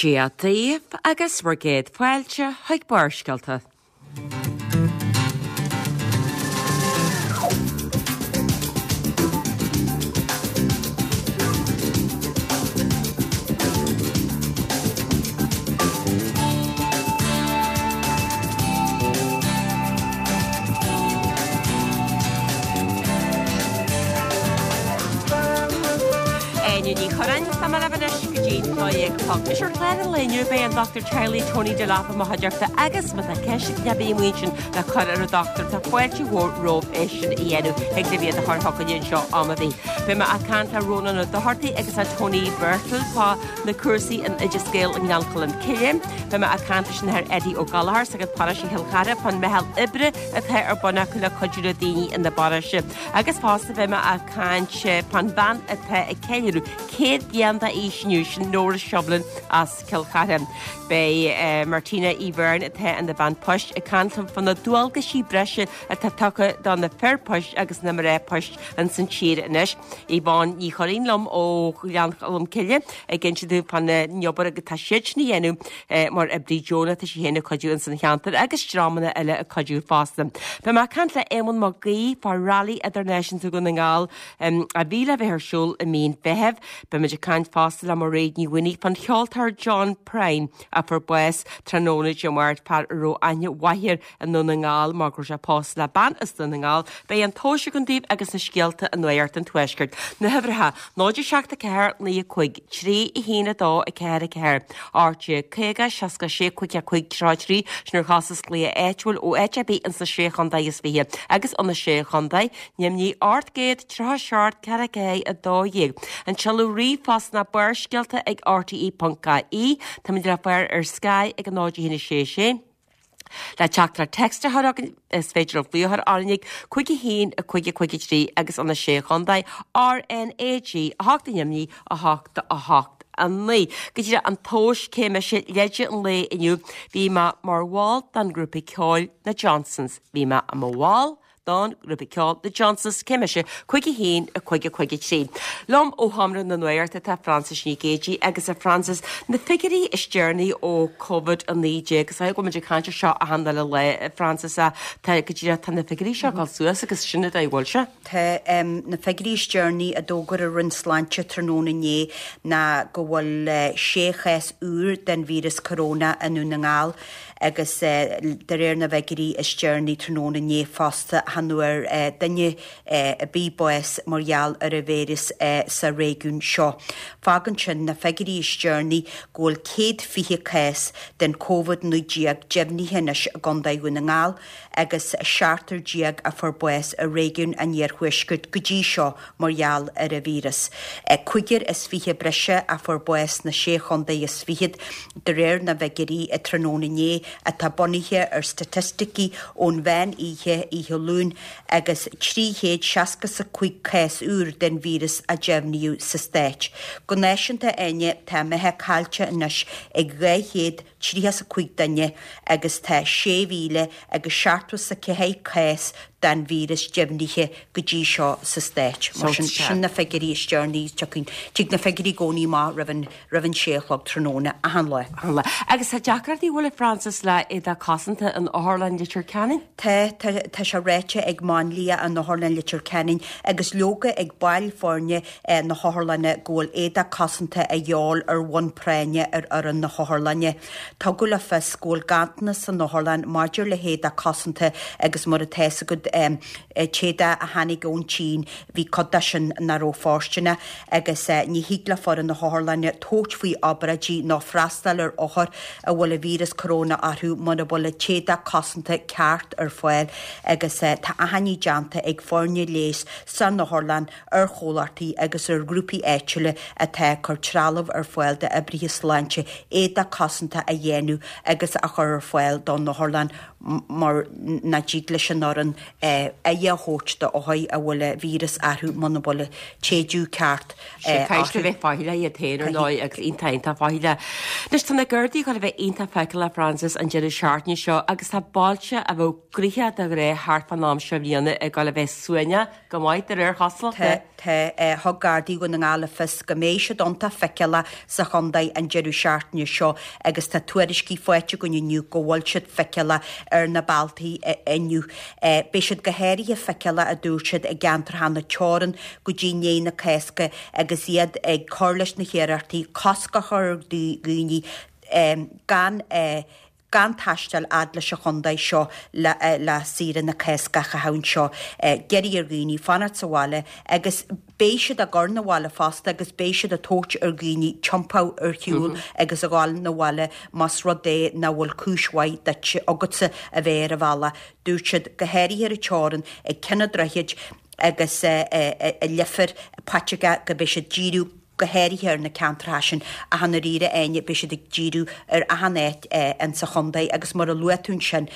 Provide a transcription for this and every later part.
Dia daoibh agus bhur gcéad fáilte chuig Barrscéalta. Áine Ní Churráin, tá mé libh anois go dtí 12 a chlog. Anois ar chlár an lae inniu beidh an Dr Teaghlaigh Tony Delap i mo chuideachta agus má tá ceist ar bith amuigh ansin le cur ar an dochtúir tá fáilte mhór romhaibh é sin a dhéanamh thig libh iad a chur chugainne anseo am ar bith. Beidh mé ag caint le Rónán Ó Dochartaigh agus le Tony Birtill fá na cúrsaí in Oideas Gael i nGleann Cholm Cille. Beidh mé ag caint leis an Athair Eddie Ó Gallchóir sagart paróiste Chill Chartha fán meitheal oibre atá ar bun acu le cuidiú le daoine ina bparóiste. Agus fosta beidh mé ag caint fán bhean atá ag ceiliúradh 100 bliain d'aois inniu, sin Nóra Shiubhlain as Cill Chartha. Beidh Martina Uí Bheirn atá ina bean poist ag caint liom fá na dualgaisí breise atá tugtha do na fir poist agus na mná poist ins an tír anois. Yvonne Ní Churraoin liom ó Ghleann Cholm Cille ag inse dúinn fán obair atá siadsan a dhéanamh mar oibrí deonach, tá sí féin ag cuidiú ins an cheantar agus dreamanna eile ag cuidiú fosta. Beidh mé ag caint le Éamonn Mac Aoidh fá Rally Idirnáisiúnta Dhún na nGall a bhí le bheith ar siúl i mí an Mheithimh. Beimid ag caint fosta le Mairéad Ní Mhaonaigh fán cheoltóir John Prine a fuair bás tráthnóna Dé Máirt, fear a raibh aithne mhaith air i nDún na nGall mar go raibh sé pósta le bean as Dún na nGall. Beidh an tomhas agam daoibh agus na scéalta i Nuacht an Tuaiscirt. Na huimhreacha, 0 7 4 9 5 3 1 2 4 4 18 50 66 5 5 33 sin ar chostas glaoch áitiúil ó áit ar bith ins na Sé Chontae is Fiche agus ó na Sé Chontae, Nimhní 837 4 4 12. An seoladh ríomhphost ná barrscéalta ag rte.ie. Táimid le fáil ar Sky ag 0 1 6 6. Le teachtaireacht text a chur chugainn, is féidir libh glaoch a chur orainn ag 5 1 5 5 3 agus ó na Sé Chontae, RnaG 8 i nDoimní, 8 8 9. Go díreach an tomhas cé mise leide an lae inniu, bhí mé mar bhall den ghrúpa ceoil na Johnsons. Bhí mé i mo bhall don ghrúpa ceoil The Johnsons, cé mise, 5 1 5 5 3. Liom ó Sheomra na Nuachta tá Frances Nic Géadaigh agus a Frances, na figiúirí is deireanaí ó Covid-19, is dóigh go bhfuil muid ag caint ar seo achan uile lá, a Frances, ach tá go díreach, tá na figiúirí seo ag dul suas agus sin an dóigh a bhfuil sé. Tá na figiúirí is deireanaí a d'fhógair an Roinn Sláinte tráthnóna inné ná go bhfuil sé chás úr den víreas coróna i nDún na nGall Agus de réir na bhfigiúirí is deireanaí tráthnóna inné fosta, chan fhuair duine ar bith bás mar gheall ar an víreas sa réigiún seo. Fágann sin na figiúirí is deireanaí go bhfuil 120 cás den Covid-19 deimhnithe anois i gContae Dhún na nGall agus 17 a fuair bás i réigiún an Iarthuaiscirt go dtí seo mar gheall ar an víreas. Cúigear is 20 breise a fuair bás sna Sé Chontae is Fichead, de réir na bhfigiúirí tráthnóna inné, atá bunaithe ar staitisticí ón mheán oíche oíche Luain, agus 365 cás úr den víreas a deimhníodh sa stát. Go náisiúnta, Áine, tá a mbeatha caillte anois ag 235 duine agus tá 6,000 agus 74 cás den víreas deimhnithe go dtí seo sa stát. Mar sin, sin na figiúirí is deireanaí. Tiocfaidh, tig na figiúirí i gcónaí amach roimh an, roimh an sé a chlog tráthnóna achan lá. Achan lá. Agus tá deacrachtaí, an bhfuil, a Frances, le éadach cosanta in Otharlann Leitir Ceanainn? Tá, tá, tá sé ráite ag máinlia in Otharlann Leitir Ceanainn agus leoga ag baill foirne na hotharlainne go bhfuil éadach cosanta a dhíobháil ar bhonn práinne ar fhoireann na hotharlainne. Tugadh le fios go bhfuil ganntanas san otharlann maidir le héadach cosanta agus mar atá fhios agat an t-éadach a tháinig ón tSín bhí cuid de sin nach raibh fóirsteanach agus ní thig le foireann na hotharlainne tabhairt faoi obráidí nó freastal ar othair a bhfuil an víreas coróna orthu mura bhfuil an t-éadach cosanta ceart ar fáil agus tá achainí déanta ag foirne leighis san otharlann ar chomhlachtaí agus ar ghrúpaí áitiúla atá ag cur trealamh ar fáil d'oibrithe sláinte éadach cosanta a dhéanamh agus a chur ar fáil don otharlann mar nach dtig leis an fhoireann. Aghaidh a thabhairt do othair a bhfuil an víreas orthu muna bhfuil an téideadh ceart Sea, caithfidh siad a bheith faichilleach iad féin ar ndóigh agus iontach iontach faichilleach. Anois tá na Gardaí ag dul a bheith iontach feiceálach Frances an deireadh seachtaine seo agus tá bailte a bheadh gnoitheach de ghnáth thart fán am seo bhliana ag dul a bheith suaimhneach go maith de réir chosúlachta. Tá, tá. Thug Gardaí Dhún na nGall le fios go mbeidh siad iontach feiceálach sa chontae an deireadh seachtaine seo agus tá tuairiscí faighte againn inniu go bhfuil siad feiceálach ar na bealtaí inniu. Beidh siad go háirithe feiceálach, a dúirt siad, i gceantracha na teorann go dtí i ndiaidh na Cásca agus iad ag cur leis na hiarrachtaí cosc a chur ar dhaoine gan gan taisteal fhad leis an chontae seo le le saoire na Cásca a chaitheamh anseo. D'iarr ar dhaoine fanacht sa bhaile agus beidh siad á gcur 'na bhaile fosta agus beidh siad ag tabhairt ar dhaoine tiompú ar shiúl agus a ghabháil 'na bhaile más rud é nach bhfuil cúis mhaith duit agatsa a bheith ar an bhealach. Dúirt siad, go háirithe ar an teorainn ag Ceann an Droichid agus i Leifear, Paiteagó go mbeidh siad díriú go háirithe ar na ceantracha sin ach i ndáiríre Áine, beidh siad ag díriú ar achan áit insa chontae agus mar a luaigh tú ansin,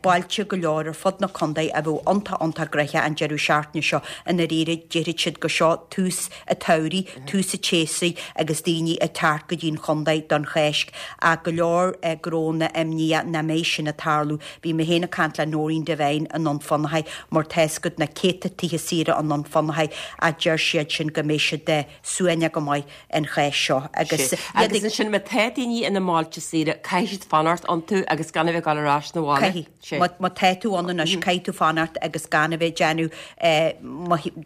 bailte go leor ar fud na contae a bheadh iontach iontach gnoitheach an deireadh seachtaine seo, i ndáiríre déarfaidh siad gur seo tús an tsamhraidh, tús an tséasúir agus daoine ag teacht go dtí an chontae don Cháisc ach go leor gnónna imníoch nach mbeidh sin ag tarlú. Bhí mé féin ag caint le Noreen Devine i nDún Fionnachaidh mar tá 'fhios agat na céadta tithe saoire i nDún Fionnachaidh ach deir siad sin go mbeidh siad suaimhneach go maith an Cháisc seo agus iad ag. Agus ansin má tá daoine ina mbailte saoire caithfidh siad fanacht iontu agus gan a bheith ag dul ar ais 'na bhaile. Caithfidh. Má tá tú ann anois caithfidh tú fanacht agus gan a bheith ag déanamh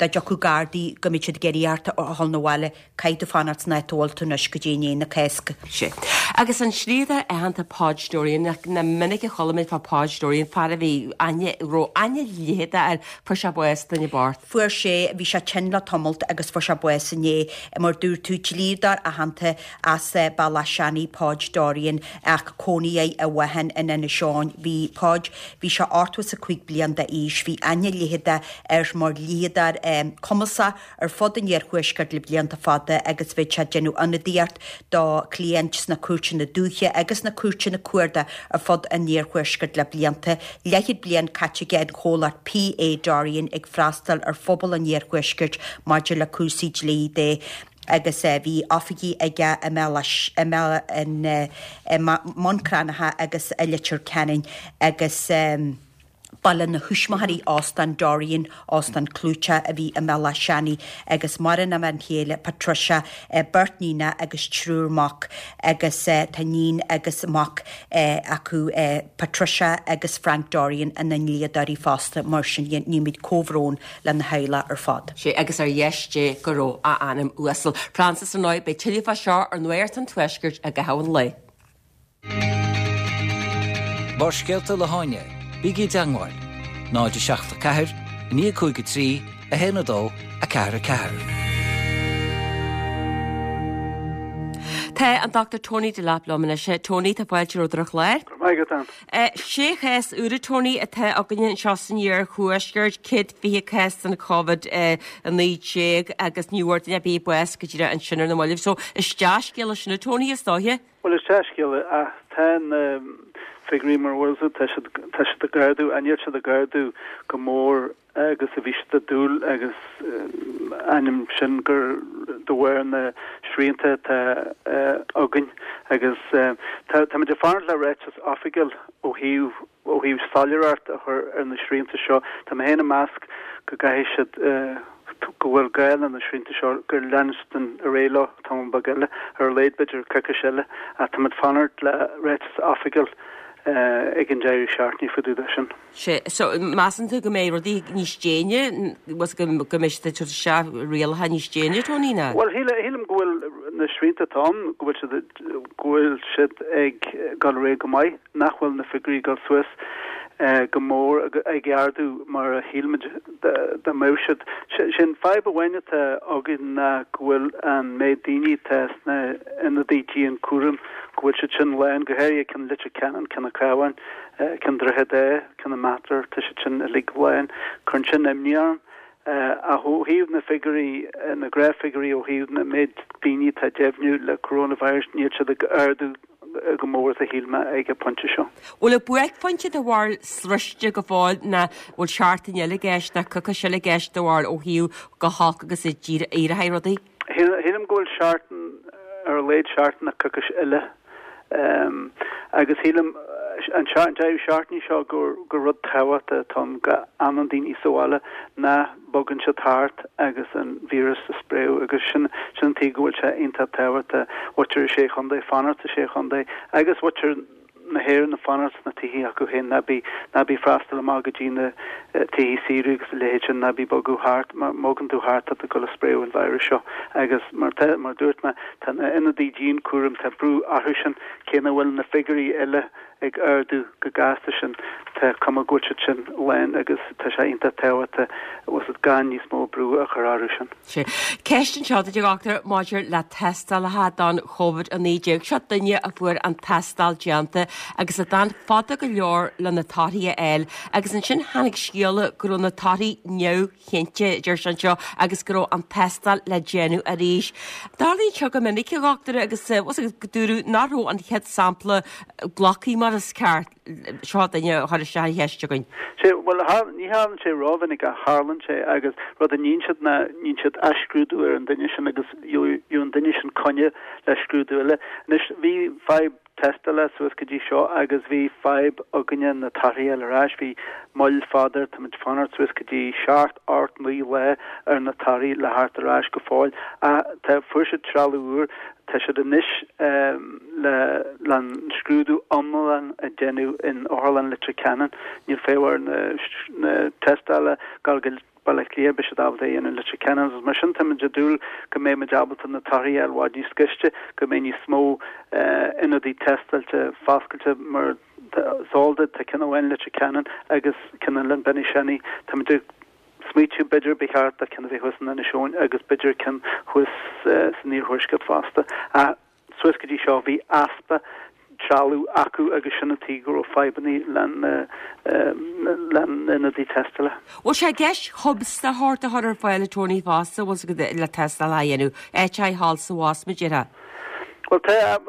dá dtiocfadh Gardaí go mbeidh siad ag iarraidh ort a dhul 'na bhaile. Caithfidh tú fanacht san áit a bhfuil tú anois go dtí i ndiaidh na Cásca. Sea. Agus an dlíodóir aitheanta Podge Dorian, nach minic a chuala muid fá Podge Dorian, fear a bhí aithne, raibh aithne dhlítheadach air, fuair sé bás, duine bocht. Fuair sé, bhí sé tinn le tamalt agus fuair sé bás inné. Mar dúirt tú, dlíodóir aitheanta as Bealach Seanaidh, Podge Dorian, ach cónaí air i bhFathain in Inis Eoghain. Bhí Podge, bhí sé 85 bliain d'aois, bhí aithne dhlítheadach air mar dhlíodóir cumasach, ar fud an iarthuaiscirt le blianta fada agus bhí sé ag déanamh ionadaíocht do chliaint sna cúirteanna dúiche agus sna cúirteanna cuarda ar fud an iarthuaiscirt le blianta. Leathchéad bliain caite aige in chomhlacht P.A. Dorrian ag freastal ar phobal an iarthuaiscirt maidir le cúrsaí dlí de agus bhí oifigí aige i mBun Cranncha agus i Leitir Ceanainn agus. Ba lena thuismitheoirí Óstán Dorrian, óstán clúiteach a bhí i mBealach Seanaidh, agus maireann a bhean chéile Patricia, beirt níonacha agus triúr mac agus tá níon agus mac acu, Patricia agus Frank Dorrian, ina ndlíodóirí fosta. Mar sin dhe, nímid comhbhrón lena theaghlach ar fad. Sea, agus ar dheis Dé go raibh a anam uasal. Frances, ar ndóigh, beidh tuilleadh fá seo ar Nuacht an Tuaiscirt i gcaitheamh an lae. Barrscéalta le hÁine, bígí i dteangmháil, 0 7 4 9 5 3 1 2 4 4. Tá an Dr Tony Delap liom anois. Tony, tá fáilte romhat ar an chlár. Go raibh maith agat, Ann. Sé chás úra, Tony, atá againne anseo san iarthuaisceart, 120 cás den Covid-19 agus ní bhfuair duine ar bith bás go dtí ansin ar na mallaibh. So, is dea-scéala sin, a Tony, is dóiche. Bhuel, is dea-scéala é, ach tá na figiúirí mar a bhfuil siad, tá siad, tá siad ag ardú, ach níl siad ag ardú chomh mór agus a bhí siad ag dúil agus ainneoin sin gur de bharr na srianta atá againn agus tá, táimid ag fanacht le ráiteas oifigiúil ó thaobh, ó thaobh soiléireacht a chur ar na srianta seo. Tá mé féin ag meas go gcaithfidh siad, go bhfuil gá le na srianta seo, gur leanstan ar aghaidh leo tamall beag eile, ar a laghad b'fhéidir coicís eile, ach táimid ag fanacht le ráiteas oifigiúil ag an deireadh seachtaine fá dtaobh de sin. Sea, so measann tú go mbeidh rudaí níos déine, go mbeidh siad ag tabhairt isteach rialacha níos déine, Tony, nó? Bhuel, shílim go bhfuil na srianta atá ann, go bhfuil siad, go bhfuil siad ag dul ar aghaidh go maith. nach bhfuil na figiúirí ag dul suas go mór, ag ardú mar a shíl muid dá mbeadh siad. Sin fadhb amháin atá againn ná go bhfuil an méid daoine atá sna ionadaí dianchúraim, go bhfuil siad sin lán, go háirithe ceann Leitir Ceanainn, ceann an Chabháin, ceann Droichead Átha, ceann an Mater, tá siad sin uilig lán. Cuireann sin imní orm. Ach ó thaobh na figiúirí, na gnáthfhigiúirí ó thaobh na méid daoine atá deimhniú le coronavirus, níl siad ag ardú. chomh mór is a shíl mé ag an bpointe seo. Bhfuil an buaicphointe do bharúil sroiste go fóill nó bhfuil seachtain eile i gceist nó coicís eile i gceist do bharúil ó thaobh chomh holc agus a d'éireoidh rudaí? Shílim go bhfuil seachtain, ar a laghad seachtain nó coicís eile. Agus shílim an deireadh seachtaine seo gur rud tábhachtach atá ann go fhanann daoine sa bhaile, nach bogann siad thart agus an víreas a spréadh agus sin sin an tuige go bhfuil sé iontach tábhachtach mhuintir na Sé Chontae fanacht sa Sé Chontae agus muintir na hÉireann ag fanacht sna tithe acu féin, ná bí, ná bí freastal amach go dtí na tithe saoire agus a leithéid sin, ná bí bogadh thart, má bhogann tú thart tá tú ag dul a spréadh an virus seo. Agus mar tá, mar dúirt mé, tá na ionadaí dianchúraim, tá brú orthu sin, cé nach bhfuil na figiúirí eile ag ardú chomh gasta sin, tá cuma go bhfuil siad sin lán agus tá sé iontach tábhachtach, bhfuil a fhios agat, gan níos mó brú a chur orthu sin. Sea. Ceist anseo duit, a dhochtúir, maidir le tástálacha don Covid-19. Seo duine a fuair an tástáil déanta agus a d'fhan fada go leor le na torthaí a fháil agus ansin tháinig scéala go raibh na torthaí neamhchinnte, deir sé anseo, agus go raibh an tástáil le déanamh arís. Tarlaíonn seo go minic, a dhochtúir, agus bhfuil a fhios agat go dúradh nach raibh an chéad sampla glactha mar is ceart. Seo duine a chuir isteach an cheist chugainn. Sea, bhuel, ní tharlaíonn sé rómhinic ach tharlaíonn sé agus rud a níonn siad ná níonn siad athscrúdú ar an duine sin agus gheobhaidh an duine sin coinne le scrúdú eile. Anois, bhí fadhb tástála suas go dtí seo agus bhí fadhb againne na torthaí a fháil ar ais. Bhí moill fada, táimid ag fanacht suas go dtí seacht, ocht, naoi lá ar na torthaí le theacht ar ais go fóill. Ach tá, fuair siad trealamh úr. Tá siad anois le le an scrúdú iomlán a déanamh in Otharlann Leitir Ceanainn. Níl fadhb ar na na tástála gabháil go Baile Átha Cliath, beidh siad ábalta é a dhéanamh in Leitir Ceanainn agus mar sin táimid ag dúil go mbeidh muid ábalta na torthaí a fháil i bhfad níos gaiste, go mbeidh níos mó ionadaí tástáilte foscailte mar is eol duit tá ceann amháin i Leitir Ceanainn agus ceann eile in Benishanna. Táimid ag smaoitiú b'fhéidir ba cheart do ceann a bheith thuas in Inis Eoghain agus b'fhéidir ceann thuas san iarthuaisceart fosta. Ach suas go dtí seo bhí easpa trealamh acu agus sin an tuige go raibh fadhbanna le na hionadaí tástála. Bhfuil sé i gceist hubs de shórt a chur ar fáil a Tony fosta, bhfuil a fhios agat le tástáil a dhéanamh, áit a thall is abhus mar a déarfá? Bhuel, tá,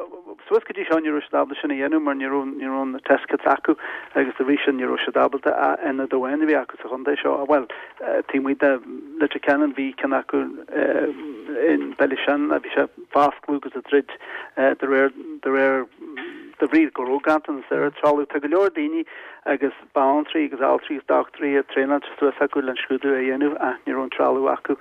suas go dtí seo ní raibh siad ábalta sin a dhéanamh mar ní raibh, ní raibh na test kits acu agus dá bhrí sin ní raibh siad ábalta ach ionad amháin a bhí acu sa chontae seo. Bhuel, taobh amuigh de Leitir Ceanainn bhí ceann acu in Ballyshannon, bhí sé fá oscailt agus ag druid de réir, de réir, de bhrí go raibh ganntanas ar an trealamh. Tá go leor daoine agus banaltraí agus altraí agus dochtúirí traenáilte suas acu le an scrúdú a dhéanamh ach ní raibh an trealamh acu.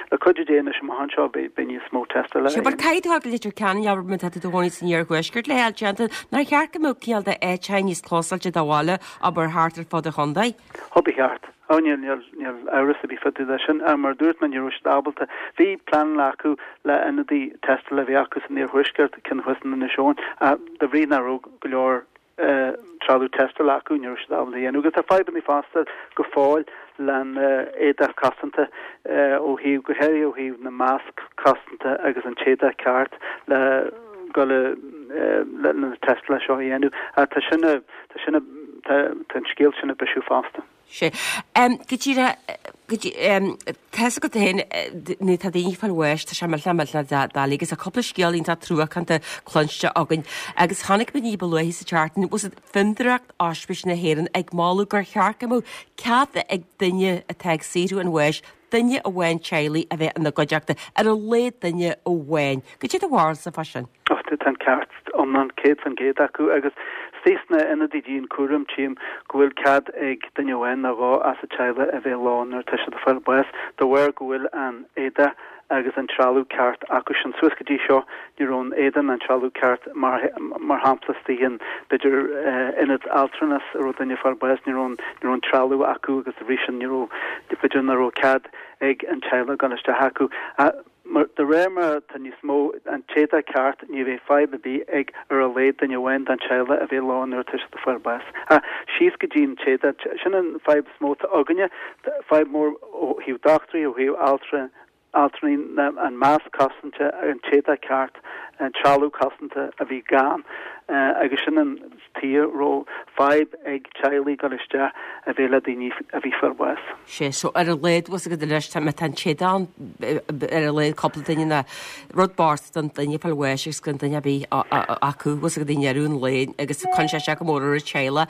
Le cuidiú Dé anois amach anseo beidh níos mó tástála Sea, but caithfidh tú a ghabháil go Leitir Ceanainn, abair, má tá tú i do chónaí san iarthuaisceart le hfáil déanta, nár cheart go mbeadh cineál de áiteacha níos clósáilte do bhaile, abair, thart ar fud an chontae? Ó, ba cheart. Ó, níl, níl, níl amhras ar bith fá dtaobh de sin. Ach mar a dúirt mé, ní raibh siad ábalta. Bhí pleananna acu le ionadaí tástála a bheith acu san iarthuaisceart, ceann thuas in Inis Eoghain, ach de bhrí nach raibh go leor trealamh tástála acu, ní raibh siad ábalta a dhéanamh. Agus tá fadhbanna fosta go fóill len éadach cosanta ó thaobh, go háirithe ó thaobh na masc cosanta agus an t-éadach ceart le dul le na tástála seo a dhéanamh. Ach tá sin, tá sin, tá an scéal sin ag bisiú fosta. Sea. Go díreach, go dtí, tá fhios agat féin, nuair atá daoine ag fáil bháis, tá sé millteanach millteanach doiligh agus tá cúpla scéal iontach truacánta cluinste againn agus chonaic muid ní ba luaithe sa tseachtain, bhfuil fhios agat, Fondúireacht Ospís na hÉireann ag moladh gur cheart go mbeadh cead ag duine atá ag saothrú an bháis duine amháin teaghlaigh a bheith ina gcuideachta, ar a laghad duine amháin. Cad é do bharúilsa fá sin? Ach tá an ceart iomlán 100% acu agus istigh sna ionadaí dianchúraim tchím go bhfuil cead ag duine amháin nó dhó as an teaghlach a bheith leo nuair atá siad ag fáil bás de bharr go bhfuil an éadach agus an trealamh ceart acu sin. Suas go dtí seo ní raibh an éadach ná an trealamh ceart mar mar shampla istigh in b'fhéidir ionad altranas a raibh duine ag fáil bás ní raibh an ní raibh an trealamh acu agus dá bhrí sin ní raibh b'fhéidir nach raibh cead ag an teaghlach dul isteach acu. Mar, de réir mar atá níos mó, an t-éadach ceart, ní bheidh fadhb ar bith ag ar a laghad duine amháin den teaghlach a bheith leo nuair atá siad ag fáil bás. Ach síos go dtí an t-éadach, sin an fadhb is mó atá againne, fadhb mór ó thaobh dochtúirí, ó thaobh altra, altraí, ná an masc cosanta, an t-éadach ceart. Trealamh cosanta a bhí gann agus sin an tuige a raibh fadhb ag teaghlaigh dul isteach a bheith le daoine a bhí fáil bháis. Sea, so ar a laghad, bhfuil 's agat anois, tá, má tá an téad ann, ar a laghad cúpla duine ná rud bocht don duine fáil bháis agus gan duine ar bith acu, bhfuil 's agat i ndeireadh an lae agus cuireann sé isteach go mór ar an teaghlach.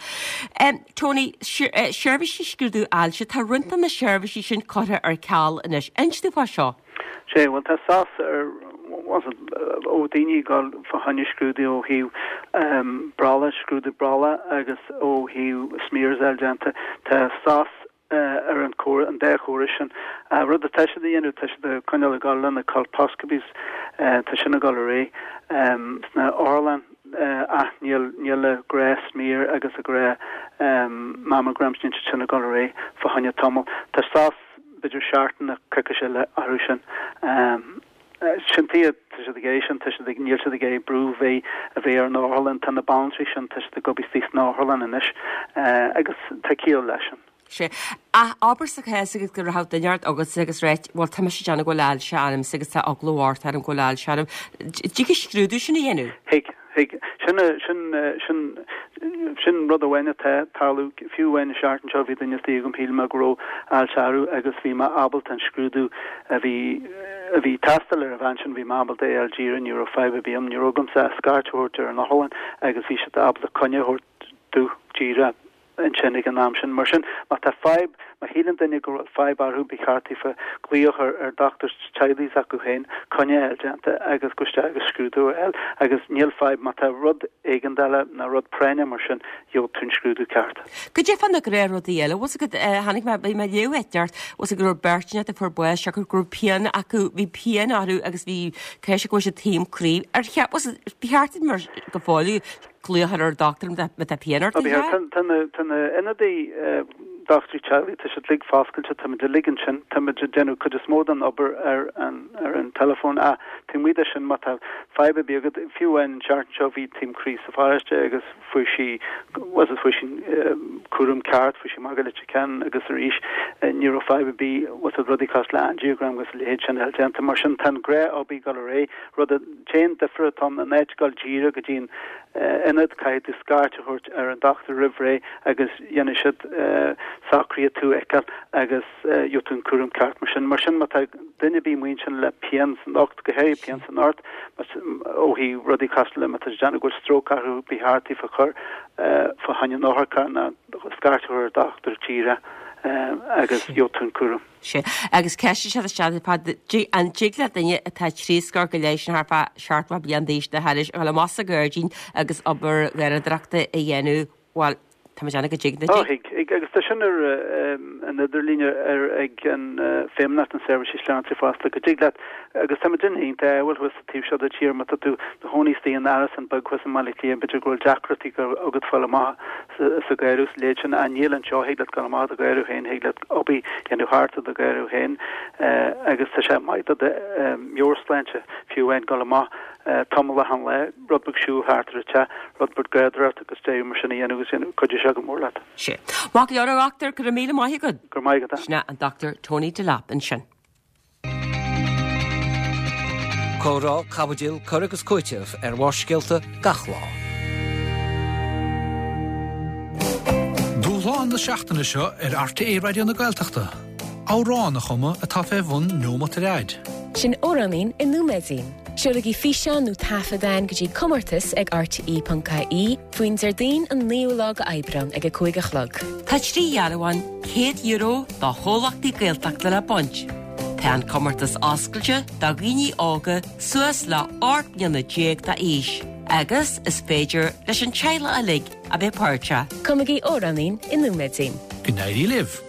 Tony, seirbhísí scrúdú ailse, tá roinnt de na seirbhísí sin curtha ar ceal anois. Inis dúinn fá seo. Sea, bhuel tá sos ar, ó daoine ag dul fá choinne scrúdú ó thaobh brollaigh, scrúdú brollaigh agus ó thaobh smears a fháil déanta, tá sos ar an córas, an dá chóras sin. Rud atá siad a dhéanamh, tá siad ag coinneáil ag dul le na colposcopies, tá sin ag dul ar aghaidh sna otharlanna ach níl, níl an gnáth smear agus an gnáth mammograms, níl siad sin ag dul ar aghaidh fá choinne tamall. Tá sos. b'fhéidir seachtain nó coicís eile orthu sin. Sin tuige, tá siad ag iarraidh sin, tá siad ag, níl siad ag iarraidh brú bheith, a bheith ar an otharlann, tá na banaltraí sin, tá siad ag obair istigh san otharlann anois agus tá ciall leis sin. Sea. Ach abair sa chás agus go raibh duine ort agatsa agus ráit, bhuel tá mise ag déanamh go bhfuil ailse ormsa agus tá eagla ort orm go bhfuil ailse orm. Dtig an scrúdú sin a dhéanamh? Thig. Thig. Sin, sin, sin, sin rud amháin atá ag tarlú. Fiú amháin an seachtain seo bhí duine istigh agam, shíl mé go raibh ailse orthu agus bhí mé ábalta an scrúdú a bhí, a bhí ag teastáil ar an bhean sin, bhí mé ábalta é a fháil díreach, ní raibh fadhb ar bith agam, ní raibh agamsa ach scairt a thabhairt ar an otharlann agus bhí siad ábalta coinne a thabhairt domh díreach ansin ag an am sin. Mar sin, má tá fadhb, má shíleann duine go bhfuil fadhb orthu, ba cheart daofa glaoch ar ar dochtúir teaghlaigh s'acu féin, coinne a fháil déanta agus gabh isteach agus scrúdú a fháil. Agus níl fadhb, má tá rud éigeandála nó rud práinneach mar sin, gheobhaidh tú an scrúdú ceart. Goidé fá na gnáthrudaí eile, bhfuil 's agat, chonaic mé, bhí mé ag léamh áit inteacht, bhfuil 's agat go raibh beirt inteacht a fuair bás siocair go raibh pian acu, bhí pian orthu agus bhí ceist go bhfuil siad taom croí. Ar cheart, bhfuil 's agat, ba cheart mar go fóill glaoch ar an dochtúir má tá pian ort, an ea? Tá na ionadaí dochtúirí teaghlaigh, tá siad uilig foscailte, táimid uilig ansin, táimid ag déanamh cuid is mó den obair ar an ar an teileafón ach taobh amuigh de sin má tá fadhb ar bith agat, fiú amháin an tseachtain seo bhí taom croí sa pharóiste agus fuair sí, bhuel fuair sí cúram ceart, fuair sí amach go Leitir Ceanainn agus arís ní raibh fadhb ar bith, bhuel rudaí cosúil le angiogram agus a leithéid sin a fháil déanta. Mar sin tá an gnáth-obair ag dul ar aghaidh, rud a. T-aon difear atá ann, in áit dul díreach go dtí an ionad, caithfidh tú scairt a thabhairt ar an dochtúir roimh ré agus dhéanfaidh siad socruithe tú a fheiceáil agus gheobhaidh tú an cúram ceart mar sin. Mar sin, má tá duine ar bith amuigh ansin le pian san ucht, go háirithe pian san ucht, ó thaobh rudaí cosúil le má tá siad ag déanamh go bhfuil stróc orthu, ba cheart daofa cur fá choinne an otharchairr nó scairt a thabhairt ar an dochtúir díreach agus gheobhaidh tú an cúram. Sea. Agus ceist anseo isteach ar fad, an dtig le duine atá trí scór go leith, sin thart fá 70 bliain d'aois nó thairis, a dhul amach sa ghairdín agus obair gharradóireachta a dhéanamh, bhuel, tá mé ag déanamh go dtig, nach dtig? Ó, thig, thig. Agus tá sin ar an idirlíon ar ag an Feidhmeannacht na Seirbhísí Sláinte fosta, go dtig leat, agus tá muid iontach ádhúil thuas sa taobh seo de tír, má tá tú i do chónaí istigh in árasán beag thuas i mBaile Átha Cliath, b'fhéidir go bhfuil deacrachtaí agat fáil amach sa gharradh is a leithéid sin, ach níl anseo, thig leat dul amach i do gharradh féin, thig leat obair a dhéanamh thart i do gharradh féin agus tá sé maith do do mheabhairshláinte fiú amháin dul amach tamall achan lá, rud beag siúl thart ar an teach, rud beag garradóireachta agus deireadh mar sin a dhéanamh agus cuideoidh sé go mór leat. Sea. Maith go leor a dhochtúir, go raibh míle maith agat. Go raibh maith agat. Sin é an Dr Tony Delap ansin. Comhrá, caibidil, cur agus cúiteamh ar Bharrscéalta gach lá. Dúshlán na seachtaine seo ar RTÉ Raidió na Gaeltachta, amhrán a chumadh atá fé bhun neomat ar fhaid. Sin Amhráinín i Nóiméidín. Seolaigí físeán nó taifead againn go dtí comórtas ag rte.ie faoin Déardaoin an 9ú lá de Aibreán ag 5 a chlog. Tá 3 dhearbhán €100 do chomhlachtaí Gaeltachta le baint. Tá an comórtas oscailte do dhaoine óga suas le 18 mbliana d'aois agus is féidir leis an teaghlach uilig a bheith páirteach. Cumaigí amhráinín i nóiméidín. Go n-éirí libh!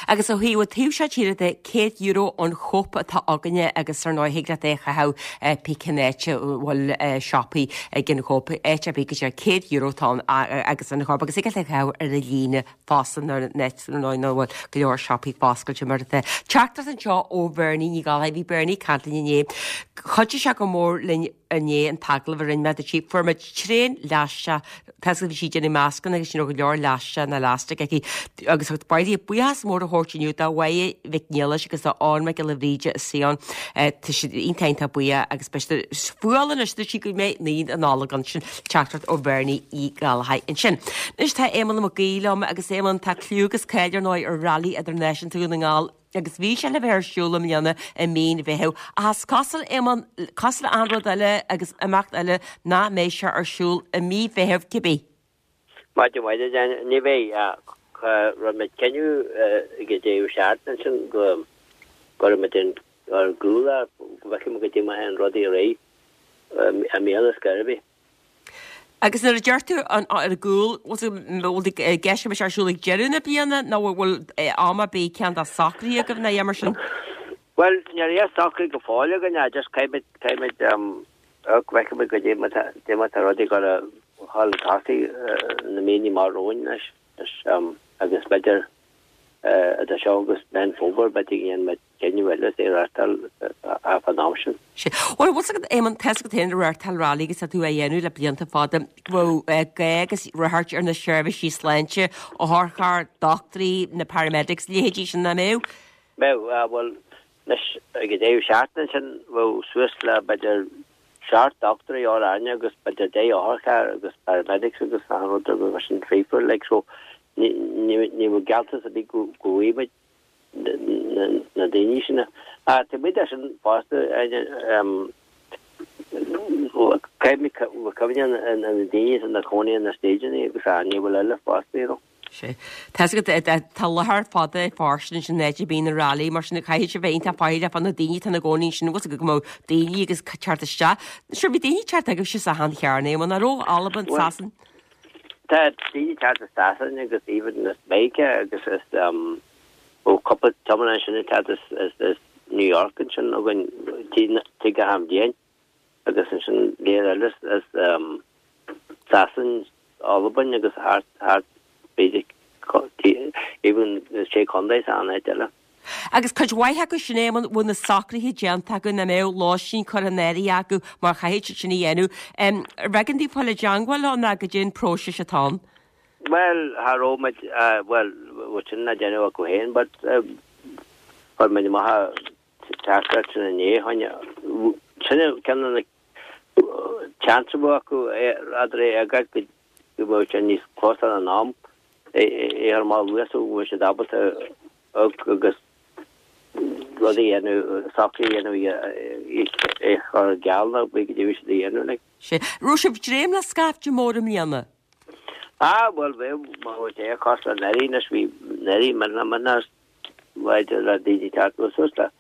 Agus ó thaobh an taobh seo tíre de, €100 ón Chóip atá againne agus ar ndóigh thig leat é a chaitheamh pé cén áit a bhfuil siopaí ag an Chóip, áit ar bith go dtí €100 atá ann agus an Chóip agus thig leat é a chaitheamh ar an líne fosta nuair ar ndóigh nach bhfuil go leor siopaí foscailte mar atá. Teachtaireacht anseo ó Bhernie Ní Ghallchóir. Bhí Bernie ag caint linn inné. Chuidigh sé go mór linn inné an t-agallamh a rinne mé dúirt sí. Fuair muid tréan leaisteach, tá a fhios agat bhí sí ag déanamh mascanna agus ní raibh go leor leaisteach ná elastic aici agus ba mhaith léi buíochas mór a thabhairt. Spóirt inniu do Mháire Mhic Niallais agus do Eoin Mac Giolla Bhríde as Sion. Tá siad iontach iontach buíoch agus beidh siad fuáil anois dúirt sí go mbeidh naíon an Nollag ann sin teachtaireacht ó Bhernie Uí Ghallchóir ansin. Anois tá Éamonn Mac Aoidh liom agus Éamonn tá clú agus cáil ar ndóigh ar Rally Idirnáisiúnta Dhún na nGall agus bhí sé le bheith ar siúl i mbliana i mí an Mheithimh ach is cosúil Éamonn, cosúil le achan rud eile agus imeacht eile nach mbeidh sé ar siúl i mí Mheithimh cibé. Maidin mhaith duit, ní bheidh ach rinne muid cinneadh ag an deireadh seachtaine ansin go gcuirfidh muid ar gcúl é, go bhfeicfidh muid goidé mar a théann rudaí ar aghaidh i mbliana ar scor ar bith. Agus nuair a deir tú ar gcúl, bhfuil i gceist go mbeidh sé ar siúl ag deireadh na bliana nó bhfuil am ar bith ceann de socraithe agaibh nó mar sin? Bhuel, níl aon socrú go fóill againn, just caithfidh muid, caithfidh muid go bhfeicfidh muid goidé mar tá rudaí ag dul a dhul chun tosaigh na míonna amach romhainn anois agus b'fhéidir idir seo agus Meán Fómhair b'fhéidir go ndéanfaidh muid cinneadh eile is é a reáchtáil fán am sin. Sea. Bhuel, bhfuil 's agat, Éamonn, tá 's agat féin ag reáchtáil rally agus tá tú á dhéanamh le blianta fada, go bhfuil gá agus ráchairt ar na seirbhísí sláinte, otharchairr, dochtúirí, na paramedics, leithéidí sin, nach mbeadh? Bheadh, bhuel, Anois, ag an deireadh seachtaine sin, bheadh suas le, b'fhéidir, seacht dochtúirí orainne agus b'fhéidir 10 otharcharr agus paramedics agus achan rud agus mar sin fríofa, like, so ní, ní, ní bheadh gealltanas ar bith go, go bhfaighidh muid na, na daoine sin. Ach taobh amuigh de sin fosta, Áine, em, caithfidh muid cuimhneamh ar na daoine atá ina cónaí ina stageanna agus a bhfuil eile fosta, you know. Sea. Tá 's agat, tá láthair fada fairsing ansin an áit a mbíonn an rally, mar sin caithfidh sé bheith iontach faichilleach fá na daoine atá ina gcónaí ansin, bhfuil 's agat go mbeadh daoine agus teacht isteach. Sure, bhí daoine ag teacht agaibhse as achan chearn, Éamonn, nach raibh? Albain, Bhuel, Sasain. tá daoine ag teacht as Sasain agus even as Meiriceá agus as, um, ó cúpla tiománaí ansin ag teacht as, as, as New York ansin againn, tigh, tigh achan bhliain. agus ansin léir eile as Sasain, Albain agus thart, thart, b'fhéidir, even na Sé Chontae san áit eile. Agus cuid mhaith acu sin, Éamonn, bhfuil na socruithe déanta acu, nach mbeadh lóistín curtha in áirithe acu mar chaithfidh siad sin a dhéanamh. Ar bh'éigean daoibh fáil i dteangmháil leo nó goidé an próiseas atá ann? Bhuel, cha raibh muid, bhuel, bhí sin á déanamh acu féin, but chuir muid amach teachtaireacht sin inné, sin ceann de na seans a bheadh acu eadar é a fhágáil go mbeadh sé níos closa in am, é a chur amach luath so go mbeadh siad ábalta agus rudaí a dhéanamh, socruithe a dhéanamh é a chur i gceal nó b'fhéidir go dtig siad a dhéanamh like. Sea. Raibh sibh ag dréim le scaifte mór i mbliana? Ah bhuel bheadh, má bheadh sé cosúil le anuraidh anois bhí anuraidh mionlach mionlach Maidir le daoine teacht suas le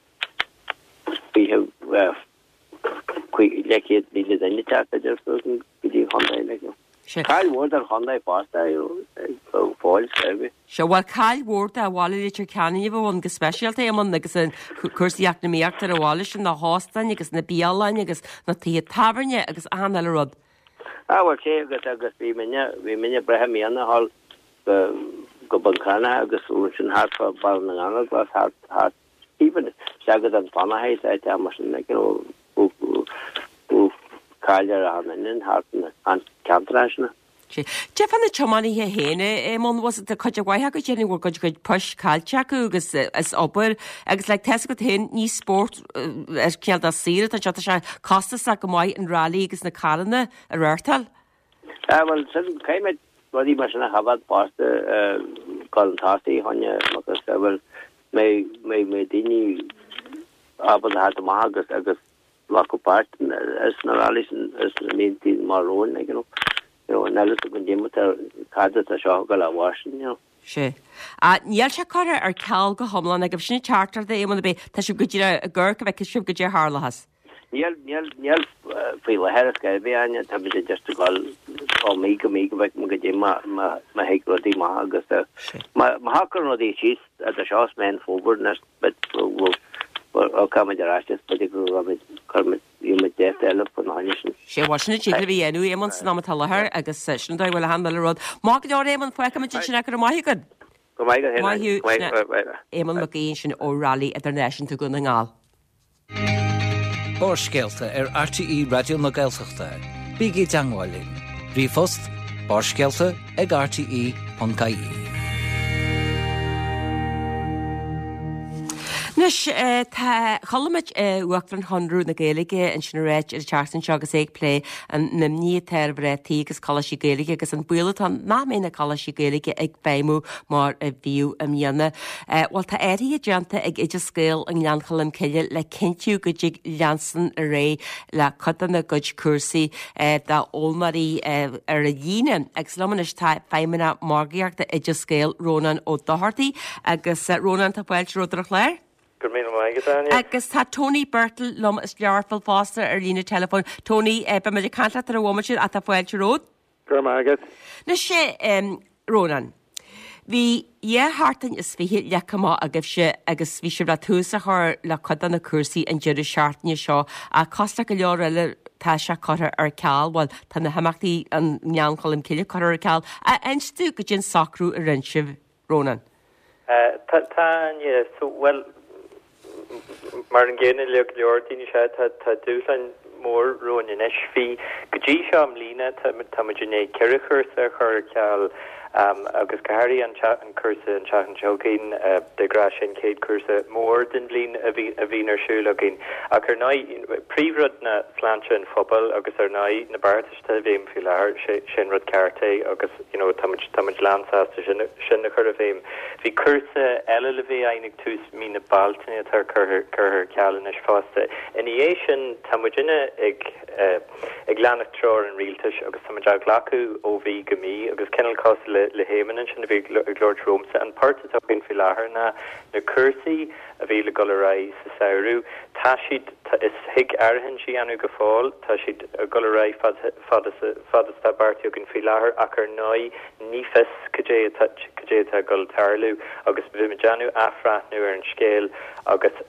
200,000 duine teacht idir suas go dtí an chontae like. Cáil mhór don chontae fosta go fóill seirbhís. Sea, bhuel cáil mhór do bhaile Leitir Ceanainn a bheadh ann go speisialta, Éamonn, agus an cúrsaí eacnamaíochta ar an bhaile sin, na hóstáin agus na bialanna agus na tithe tábhairne agus achan uile rud. Ah bhuel sea agus agus bhí muidne bhí muidne ag breith i mbliana thall go Bun Cranncha agus ansin thart fá Baile na nGallóglach thart thart even isteach go Dún Fionnachaidh is áit mar sin like you know bhí cáil ar achan duine thart na ceantar sin. Sea. Cad é fá na tiománaithe féin, a Éamonn, was tá cuid mhaith acu déarfainn go bhfuil a gcuid poist caillte acu agus as obair agus like tá 'fhios agat féin ní spórt ar cineál de saoire atá anseo, tá sé costasach go maith an rally agus na carranna a reáchtáil. Ah bhuel sin caithfidh muid rudaí mar sin a choimhéad fosta chun tosaigh Áine agus bhuel mbeidh mbeidh mbeidh daoine ábalta theacht amach agus agus glacadh páirt sna rallies sna míontaí amach romhainn like you know you know níl a fhios againn goidé cad atá seo ag dul a mhairsin you know. Sea. Ah níl sé curtha ar ceal go hiomlán agaibh sin an teachtaireacht a Éamonn ab é tá sibh go díreach ag amharc go bhfeicfidh sibh goidé a tharlóchas. Níl, níl, níl faoi láthair ar scor ar bith, Áine, tá muid just ag dul ó mí go mí go bhfeicfidh muid goidé má, má, má thig rudaí amach agus má, má shocraíonn rudaí síos idir seo is Meán Fómhair anois bhuel, tiocfaidh muid ar ais is b'fhéidir go gcuirfidh muid, cuirfidh muid, gheobhaidh muid dáta eile faoina choinne sin. Sea, bhuel sin a dtig libh a dhéanamh, Éamonn, san am atá i láthair agus sin an dóigh a bhfuil achan uile rud. Maith go leor, Éamonn, fágfaidh muid ansin é, go raibh maith agat. Go maith agat féin, Áine. Maith thú. Éamonn Mac Aoidh ansin ó Rally Idirnáisiúnta Dhún na nGall. Barrscéalta ar RTÉ Raidió na Gaeltachta. Bígí i dteangmháil linn. Ríomhphost, barrscéalta ag rte.ie. Anois, tá, chuala muid Uachtarán Chonradh na Gaeilge ansin ag ráit ar an tseachtain seo agus é ag plé an imní atá ar mhná tí agus coláistí Gaeilge agus an baol atá ann nach mbeidh na coláistí Gaeilge ag feidhmiú mar a bhíodh i mbliana. Bhuel, tá athruithe déanta ag Oideas Gael i nGleann Cholm Cille le cinntiú go dtig leanstan ar aghaidh le cuid dena gcuid cúrsaí d'fhoghlaimeoirí ar líne. Agus liom anois tá Feidhmeannach Margaíochta Oideas Gael, Rónán Ó Dochartaigh. Agus Rónán, tá fáilte romhat ar an chlár. Go raibh míle maith agat, Áine. Agus tá Tony Birtill liom as Learpholl fosta ar líne teileafóin. Tony, beidh muid ag caint leat ar an bhomaite ach tá fáilte romhat. Go raibh maith agat. Anois, Rónán, bhí dhá sheachtain is fiche leagtha amach agaibhse agus bhí sibh le tús a chur le cuid de na cúrsaí an deireadh seachtaine seo ach cosúil le go leor eile tá sé curtha ar ceal, bhuel tá na himeachtaí i nGleann Cholm Cille curtha ar ceal. Inis dúinn goidé an socrú a rinne sibh, Rónán. Tá, tá, Áine. So, bhuel, Mar an gcéanna le go leor daoine, sea, tá dúshláin mhór romhainn anois. Bhí, go dtí seo i mbliana, tá muid i ndiaidh 4 chúrsa a chur ar ceal agus go háirithe an cúrsa an tseachtain seo chugainn, de ghnáth sin chéad chúrsa mór den bhliain a bhíonn ar siúl againn. Ach ar ndóigh, príomhrud ná sláinte an phobail agus ar ndóigh na beartais atá i bhfeidhm faoi láthair, sé an rud ceart é agus you know tá muid, tá muid lánsásta sin, sin a chur i bhfeidhm. Bhí cúrsa eile le bheith againn ag tús mí na Bealtaine atá curtha, curtha ar ceal anois fosta. Ina dhiaidh sin tá muidinne ag eh ag leanacht treoir an rialtais agus tá muid á ghlacadh ó mhí go mí agus cineál cosúil le, le hÉamonn ansin a bhí ag labhairt romhamsa, an port atá againn faoi láthair ná na cúrsaí a bhí le dul ar aghaidh sa samhradh, tá siad, is thig áirithint a dhéanamh go fóill, tá siad ag dul ar aghaidh fad, fad is, fad is atá beartaithe againn faoi láthair ach ar ndóigh ní fios cad é atá, cad é atá ag dul tarlú agus beimid ag déanamh athbhreathnú ar an scéal agus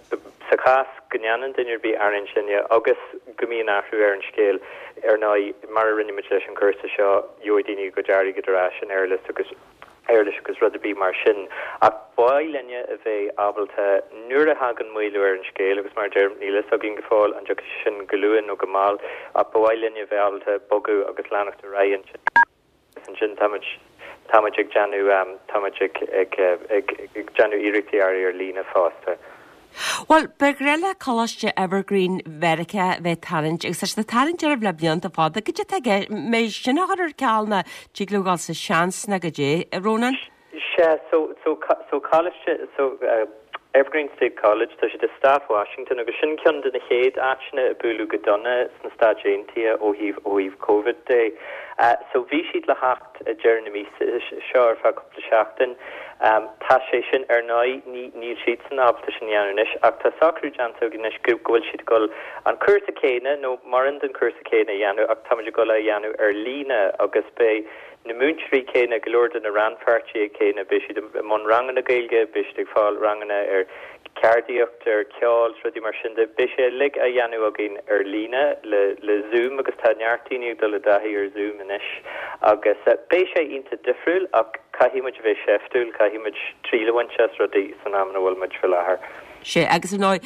sa chás go ndéanann duine ar bith áirithint linne agus go mbíonn athrú ar an scéal, ar ndóigh mar a rinne muid leis an chúrsa seo, gheobhaidh daoine a gcuid airgid ar ais in éarlais agus. éarlais agus rud ar bith mar sin. Ach ba mhaith linne a bheith ábalta, nuair a thagann maolú ar an scéal, agus mar a deirim, níl a fhios againn go fóill an dtiocfaidh sé sin go luath nó go mall, ach ba mhaith linne a bheith ábalta bogadh agus leanacht ar aghaidh ansin. Agus ansin tá muid, tá muid ag déanamh, tá muid ag, ag, ag, ag déanamh iarrachtaí ar ar líne fosta. Bhuel, ba ghnách le Coláiste Evergreen Mheiriceá bheith ag tarraingt, agus tá siad ag tarraingt oraibh le blianta fada. Goidé atá i gceist, an mbeidh sin á chur ar ceal nó tig leo dhul sa seans nó goidé, a Rónáin? Sea, so, so, so Coláiste, so Evergreen State College, tá siad i Stát Washington agus sin ceann de na chéad áiteanna a buaileadh go dona sna Stáit Aontaithe ó thaobh, ó thaobh Covid de. So bhí siad le theacht ag deireadh na míosa seo ar feadh cúpla seachtain. Tá sé sin, ar ndóigh, ní, níl siadsan ábalta sin a dhéanamh anois ach tá socrú déanta againn anois go, go bhfuil siad ag dul an cúrsa céanna nó mórán den chúrsa céanna a dhéanamh ach táimid ag dul é a dhéanamh ar líne agus beidh na múinteoirí céanna, go leor de na rannpháirtithe céanna, beidh siad i mbun ranganna Gaeilge, beidh siad ag fáil ranganna ar ceardaíocht, ar cheol is rudaí mar sin de. Beidh sé uilig á dhéanamh againn ar líne le le Zoom agus tá neart daoine ag dul i dtaithí ar Zoom anois agus beidh sé iontach difriúil ach caithfidh muid a bheith seiftiúil, caithfidh muid triail a bhaint as rudaí san am ina bhfuil muid faoi láthair. Sea, agus ar ndóigh,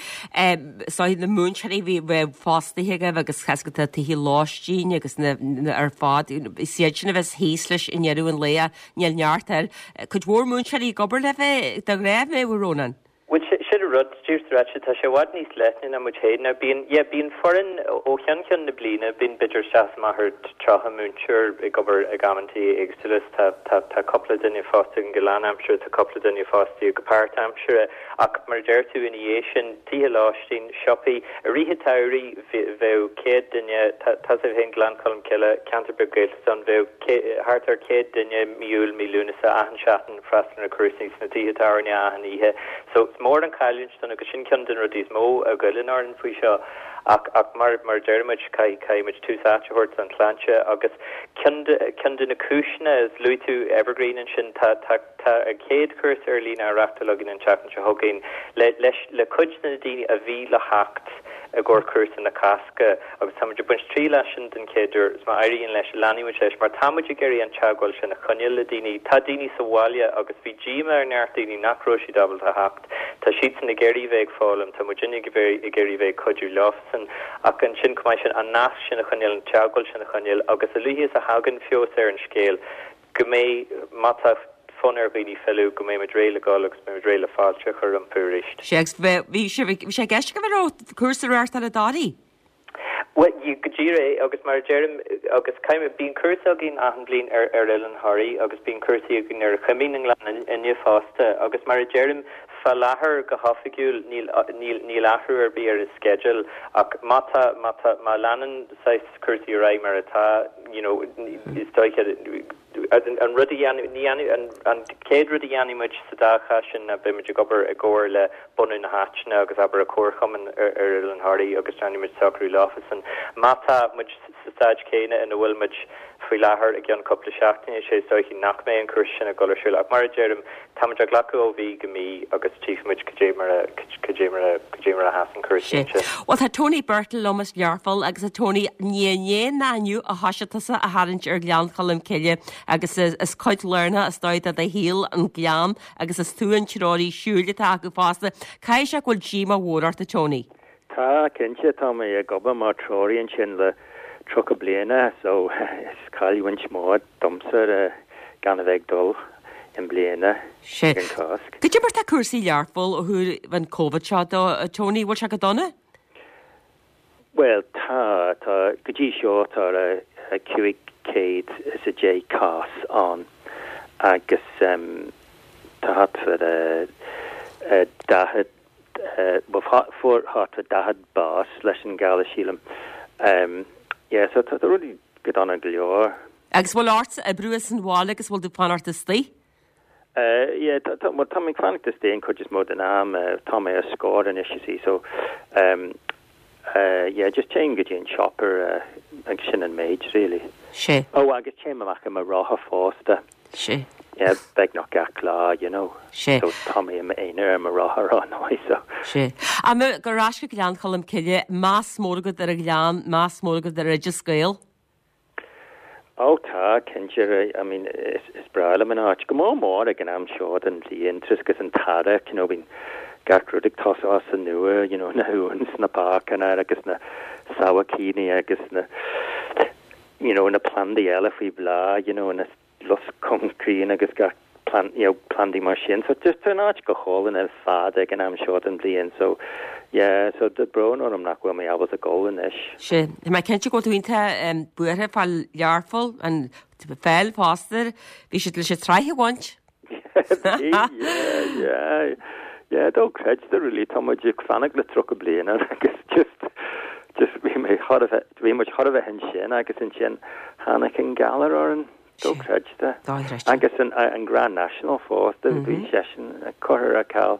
is dóigh na múinteoirí a bhí bheith fostaithe agaibh agus tá na tithe lóistín agus na ar fad, is iad sin a bheas thíos leis i ndeireadh an lae. Níl neart air. Cuid mhór múinteoirí ag obair libh de ghnáth, an mbeadh, a Rónáin? Bhuel, sin an rud, díreach ráite, tá sé i bhfad níos leithne ná muid féin. Now bíonn, yeah, bíonn foireann ó cheann ceann na bliana, bíonn b'fhéidir isteach is amach ar 30 múinteoir ag obair ag amantaí éagsúla. Tá, tá, tá cúpla duine fostaithe againn go lánaimseartha, tá cúpla duine fostaithe go páirtaimseartha. Ach mar a deir tú, ina dhiaidh sin, tithe lóistín, siopaí, i rith an tsamhraidh bheadh 100 duine, tá, tá sé féin Gleann Cholm Cille, ceantar beag Gaeltachta ann, bheadh thart ar 100 duine mí Iúil, mí Lúnasa, achan seachtain ag freastal ar na cúrsaí sna tithe tábhairne achan oíche. So is mór an chailliúint dúinn agus sin ceann de na rudaí is mó a ghoilleann orainn faoi seo. Ach, ach mar, mar a deir muid, caithfidh, caithfidh muid tús áite a thabhairt don tsláinte agus ceann de, ceann de na cúiseanna, is luaigh tú Evergreen ansin, tá, tá, tá an chéad chúrsa ar líne á reachtáil againn an tseachtain seo chugainn le, leis, le cuid de na daoine a bhí le theacht i gcomhair cúrsa na Cásca agus tá muid ag baint triail as sin den chéad uair is má éiríonn leis, leanfaidh muid leis mar tá muid ag iarraidh an teagmháil sin a choinneáil le daoine. Tá daoine sa bhaile agus bhí díomá ar neart daoine nach raibh siad ábalta a theacht. Tá siadsan ag iarraidh bheith ag foghlaim, tá muidinne ag iarraidh bheith ag cuidiú leofasan ach ansin chomh maith sin an nasc sin a choinneáil, an teagmháil sin a choinneáil agus a luaithe is a thagann feabhas ar an scéal go mbeidh, má tá. fonn ar dhaoine filleadh, go mbeidh muid réidh le dhul agus beidh muid réidh le fáilte a chur rompu arís. Sea, agus bhí sé i gceist go raibh cúrsa á reáchtáil i dToraigh? Bhuel, go díreach é, agus mar a deirim, agus caithfidh mé, bíonn cúrsa againn achan bhliain ar ar Oileán Thoraí agus bíonn cúrsaí againn ar Chuimín i nGleann Fhinne fosta, agus mar a deirim, fá láthair, go hoifigiúil, níl, níl, níl athrú ar bith ar an sceideal, ach má tá, má tá, má leanann saghas cúrsaí ar aghaidh mar atá, you know, is dóiche, An rud a dhéanfaidh, ní dhéanfaidh, an, an chéad rud a dhéanfaidh muid sa dá chás sin ná beidh muid ag obair i gcomhar le bunadh na háiteanna agus abair an comharchumann ar, ar Oileán Thoraí agus déanfaidh muid socrú leofasan. Má tá muid sa staid chéanna ina bhfuil muid faoi láthair i gceann cúpla seachtaine, sé is dóichí nach mbeidh an cúrsa sin ag dul ar siúl. Ach mar a deirim, Tá muid á ghlacadh ó mhí go mí agus tchífidh muid cad é mar a, cad é mar a, cad é mar a sheasann cúrsaí ansin. Bhuel tá Tony Birtill liom as Learpholl agus a Tony, ní inné ná inniu a thoisigh tusa a tharraingt ar Ghleann Cholm Cille agus is cuid lárnach is dóigh de do shaol an Gleann agus is tú an treoraí siúil atá acu fosta. Caithfidh sé go bhfuil díomá mhór ort a Tony? Tá, cinnte. Tá mé ag obair mar treoraí ansin le 30 bliana so is cailliúint mór domsa gan a bheith ag dul i mbliana ag an Cháisc. Cad é mar tá cúrsaí i Learpholl ó thaobh an Covid seo de, a Tony, bhfuil sé go dona? Bhuel, tá, tá, go dtí seo tá 510 cás ann agus tá thart fá 40 bhuel fuair thart fá 40 bás leis an galar sílim. Yeah, so tá rudaí go dona go leor. Agus bhfuil ortsa oibriú as an bhaile agus bhfuil tú ag fanacht istigh? Yeah, tá, tá, bhuel tá mé ag fanacht istigh an chuid is mó den am. Tá mé ar scor anois, you see, so yeah, just téim go dtí an siopa agus sin an méid really. Sea. Oh, agus téim amach ar mo rothar fosta. Sea. Yeah, beagnach gach lá, you know. Sea. So tá mé i m'aonar ar mo rothar ar ndóigh, so. Sea. Ach ar ais go Gleann Cholm Cille, meas mór agat ar an ghleann, meas mór agat ar Oideas Gael? Ó tá, cinnte, I mean, is, is breá liom an áit. Go mór mór ag an am seo den bhliain, tar éis an t-earrach, you know, bíonn gach rud ag tosú as an nua, you know, na huain sna páirceanna agus na sabhaircíní agus na, you know, na plandaí eile faoi bhláth, you know, na lus chúng críon agus gach plant, you know, plandaí mar sin. So just tá an áit go hálainn ar fad ag an am seo den bhliain. So yeah, so tá brón orm nach bhfuil mé ábalta dul anois. Sea, tá mé cinnte go bhfuil tú iontach buartha fá Learpholl, an pheil fosta, bhí siad leis an tsraith a bhaint. Bhí, yeah, yeah. Yeah, dochreidte really, tá muid ag fanacht le 30 bliain agus just, just bhí mé thar a bheith, bhí muid thar a bheith ansin agus ansin tháinig an galar orainn, dochreidte. Dochreidte. Agus an, an Grand National fosta, bhí seisean curtha ar ceal.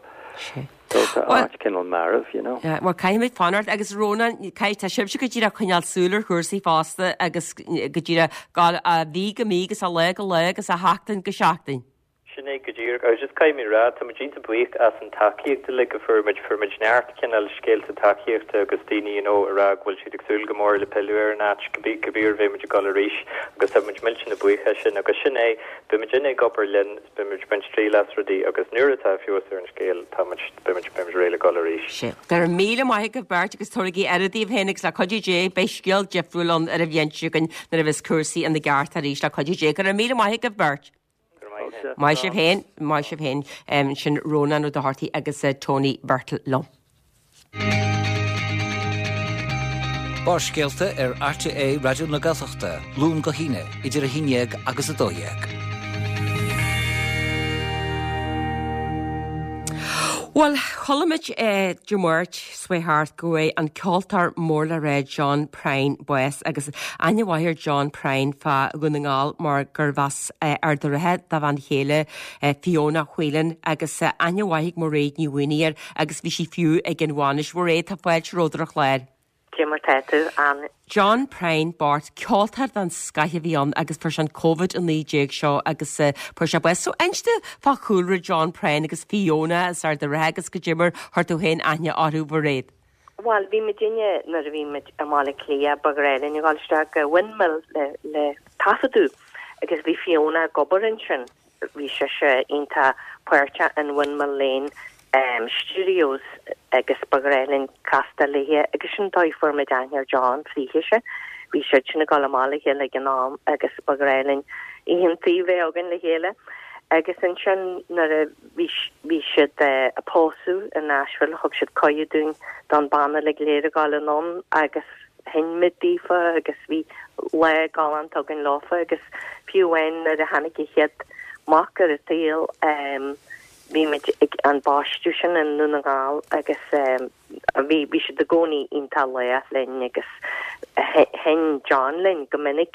So tá áit cineál marbh, you know. Bhuel, caithfimid fanacht agus Rónán, caithfidh, tá sibhse go díreach coinneáil súil ar chúrsaí fosta agus go díreach gabháil ó mhí go mí agus ó lá go lá agus ó sheachtain go seachtain. Sin é go díreach. Agus just caithfidh mé a rá, tá muid iontach buíoch as an tacaíocht uilig a fuair muid. Fuair muid neart cineál scéalta tacaíochta agus daoine you know a rá go bhfuil siad ag súil go mór le pilleadh ar an áit cibé uair a bheidh muid ag dul arís agus tá muid millteanach buíoch as sin. Agus sin é, beidh muidinne ag obair linn, beidh muid ag baint triail as rudaí agus nuair atá feabhas ar an scéal tá muid, beidh muid, beidh muid réidh le dul arís. Sea. Go raibh míle maith agaibh beirt agus tabhairigí aire daoibh féin agus le cuidiú Dé beidh scéal difriúil ann ar an bhliain seo chugainn nuair a bheas cúrsaí ina gceart arís le cuidiú Dé. Go raibh míle maith agaibh beirt. Maith sibh féin, maith sibh féin. Sin Rónán Ó Dochartaigh agus Tony Birtill liom. Barrscéalta ar RTÉ Raidió na Gaeltachta, Luan go hAoine, idir 11 agus 12. Bhuel, chuala muid Dé Máirt seo chuaigh thart go bhfuair an ceoltóir mór le rá John Prine bás agus aithne mhaith ar John Prine fá Dhún na nGall mar gurbh as Ard an Rátha dá bhean chéile Fiona Whelan agus aithne mhaith ag Mairéad Ní Mhaonaigh air agus bhí sí fiú ag an bhainis. Mairéad, tá fáilte romhat ar an chlár. Cé mar tá tú, Ann? John Prine bocht, ceoltóir den scoith a bhí ann agus fuair sé an Covid-19 seo agus fuair sé bás. So inis domh fá chúlra John Prine agus Fiona as Ard an Rátha agus goidé mar chuir tú féin aithne orthu, Mhairéad. Bhuel, bhí muidinne, nuair a bhí muid i mBaile Átha Cliath, ba ghnách linn a dhul isteach go Windmill le, le taifeadadh agus bhí Fiona ag obair ansin. Bhí sise iontach páirteach in Windmill Lane Studios agus ba ghnách linn castáil léithe agus sin dóigh fuair muid aithne ar John fríthise. Bhí siadsan ag dul amach le chéile ag an am agus ba ghnách linn oícheantaí a bheith againn le chéile. Agus ansin nuair a bhí bhí siad ag pósadh i Nashville thug siad cuireadh dúinn don banna uilig go léir a ghabháil anonn agus sheinn muid daofa agus bhí lá galánta againn leofa agus fiú amháin nuair a tháinig a chéad mac ar an tsaol bhí muid ag an baisteadh sin i nDún na nGall agus bhí bhí siad i gcónaí iontach lách linn agus sheinn John linn go minic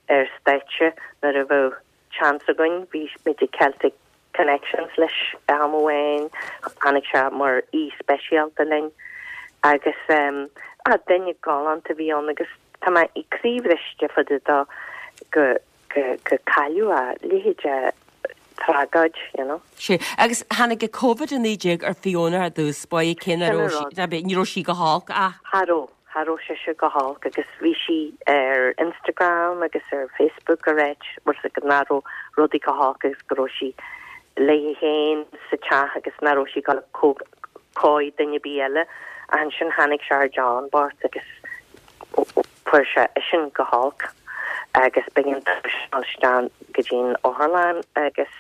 ar stáitse nuair a bheadh seans againn. Bhí muid ag Celtic Connections leis am amháin, tháinig sé mar aoi speisialta linn agus ah duine galánta a bhí ann agus tá mé croíbhriste fá dtaobh dó go go go cailleadh a leithéid de tragóid, you know. Sea, agus tháinig an Covid-19 ar Fiona ar dtús báire cé nach Sin raibh an sí, rud. ná ní raibh sí go holc ach. Cha raibh. Cha raibh sise go holc agus bhí sí ar Instagram agus ar Facebook ag ráit bhfuil 's agat nach raibh rudaí go holc agus go raibh sí léi féin sa teach agus nach raibh sí ag dul chughaidh duine ar bith eile. Ach ansin tháinig sé ar John bocht agus fuair sé eisean go holc agus b'éigean dó dul isteach go dtí an otharlann agus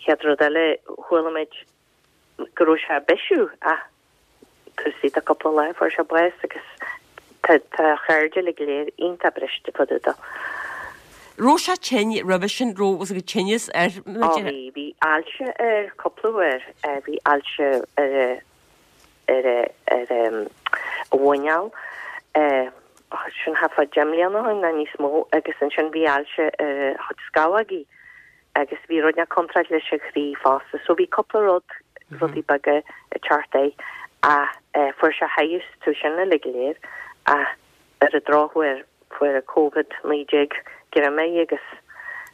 chéad rud eile chuala muid go raibh sé ag bisiú ach taobh istigh de cúpla lá fuair sé bás agus tá tá a chairde uilig go léir iontach briste fá dtaobh dó. Raibh sé tinn roimhe sin, raibh was ag tinneas air? Ó bhí, bhí ailse air cúpla uair, bhí ailse ar a ar a ar a a mhuineál, sin thart fá deich mbliana ó shin nó níos mó agus ansin bhí ailse ar a chuid scamhógaí agus bhí rud inteacht contráilte leis an chroí fosta so bhí cúpla rud, rudaí beaga ag teacht air ach fuair sé leigheas orthu sin uilig go léir ach ar an drochuair fuair an Covid 19 greim air agus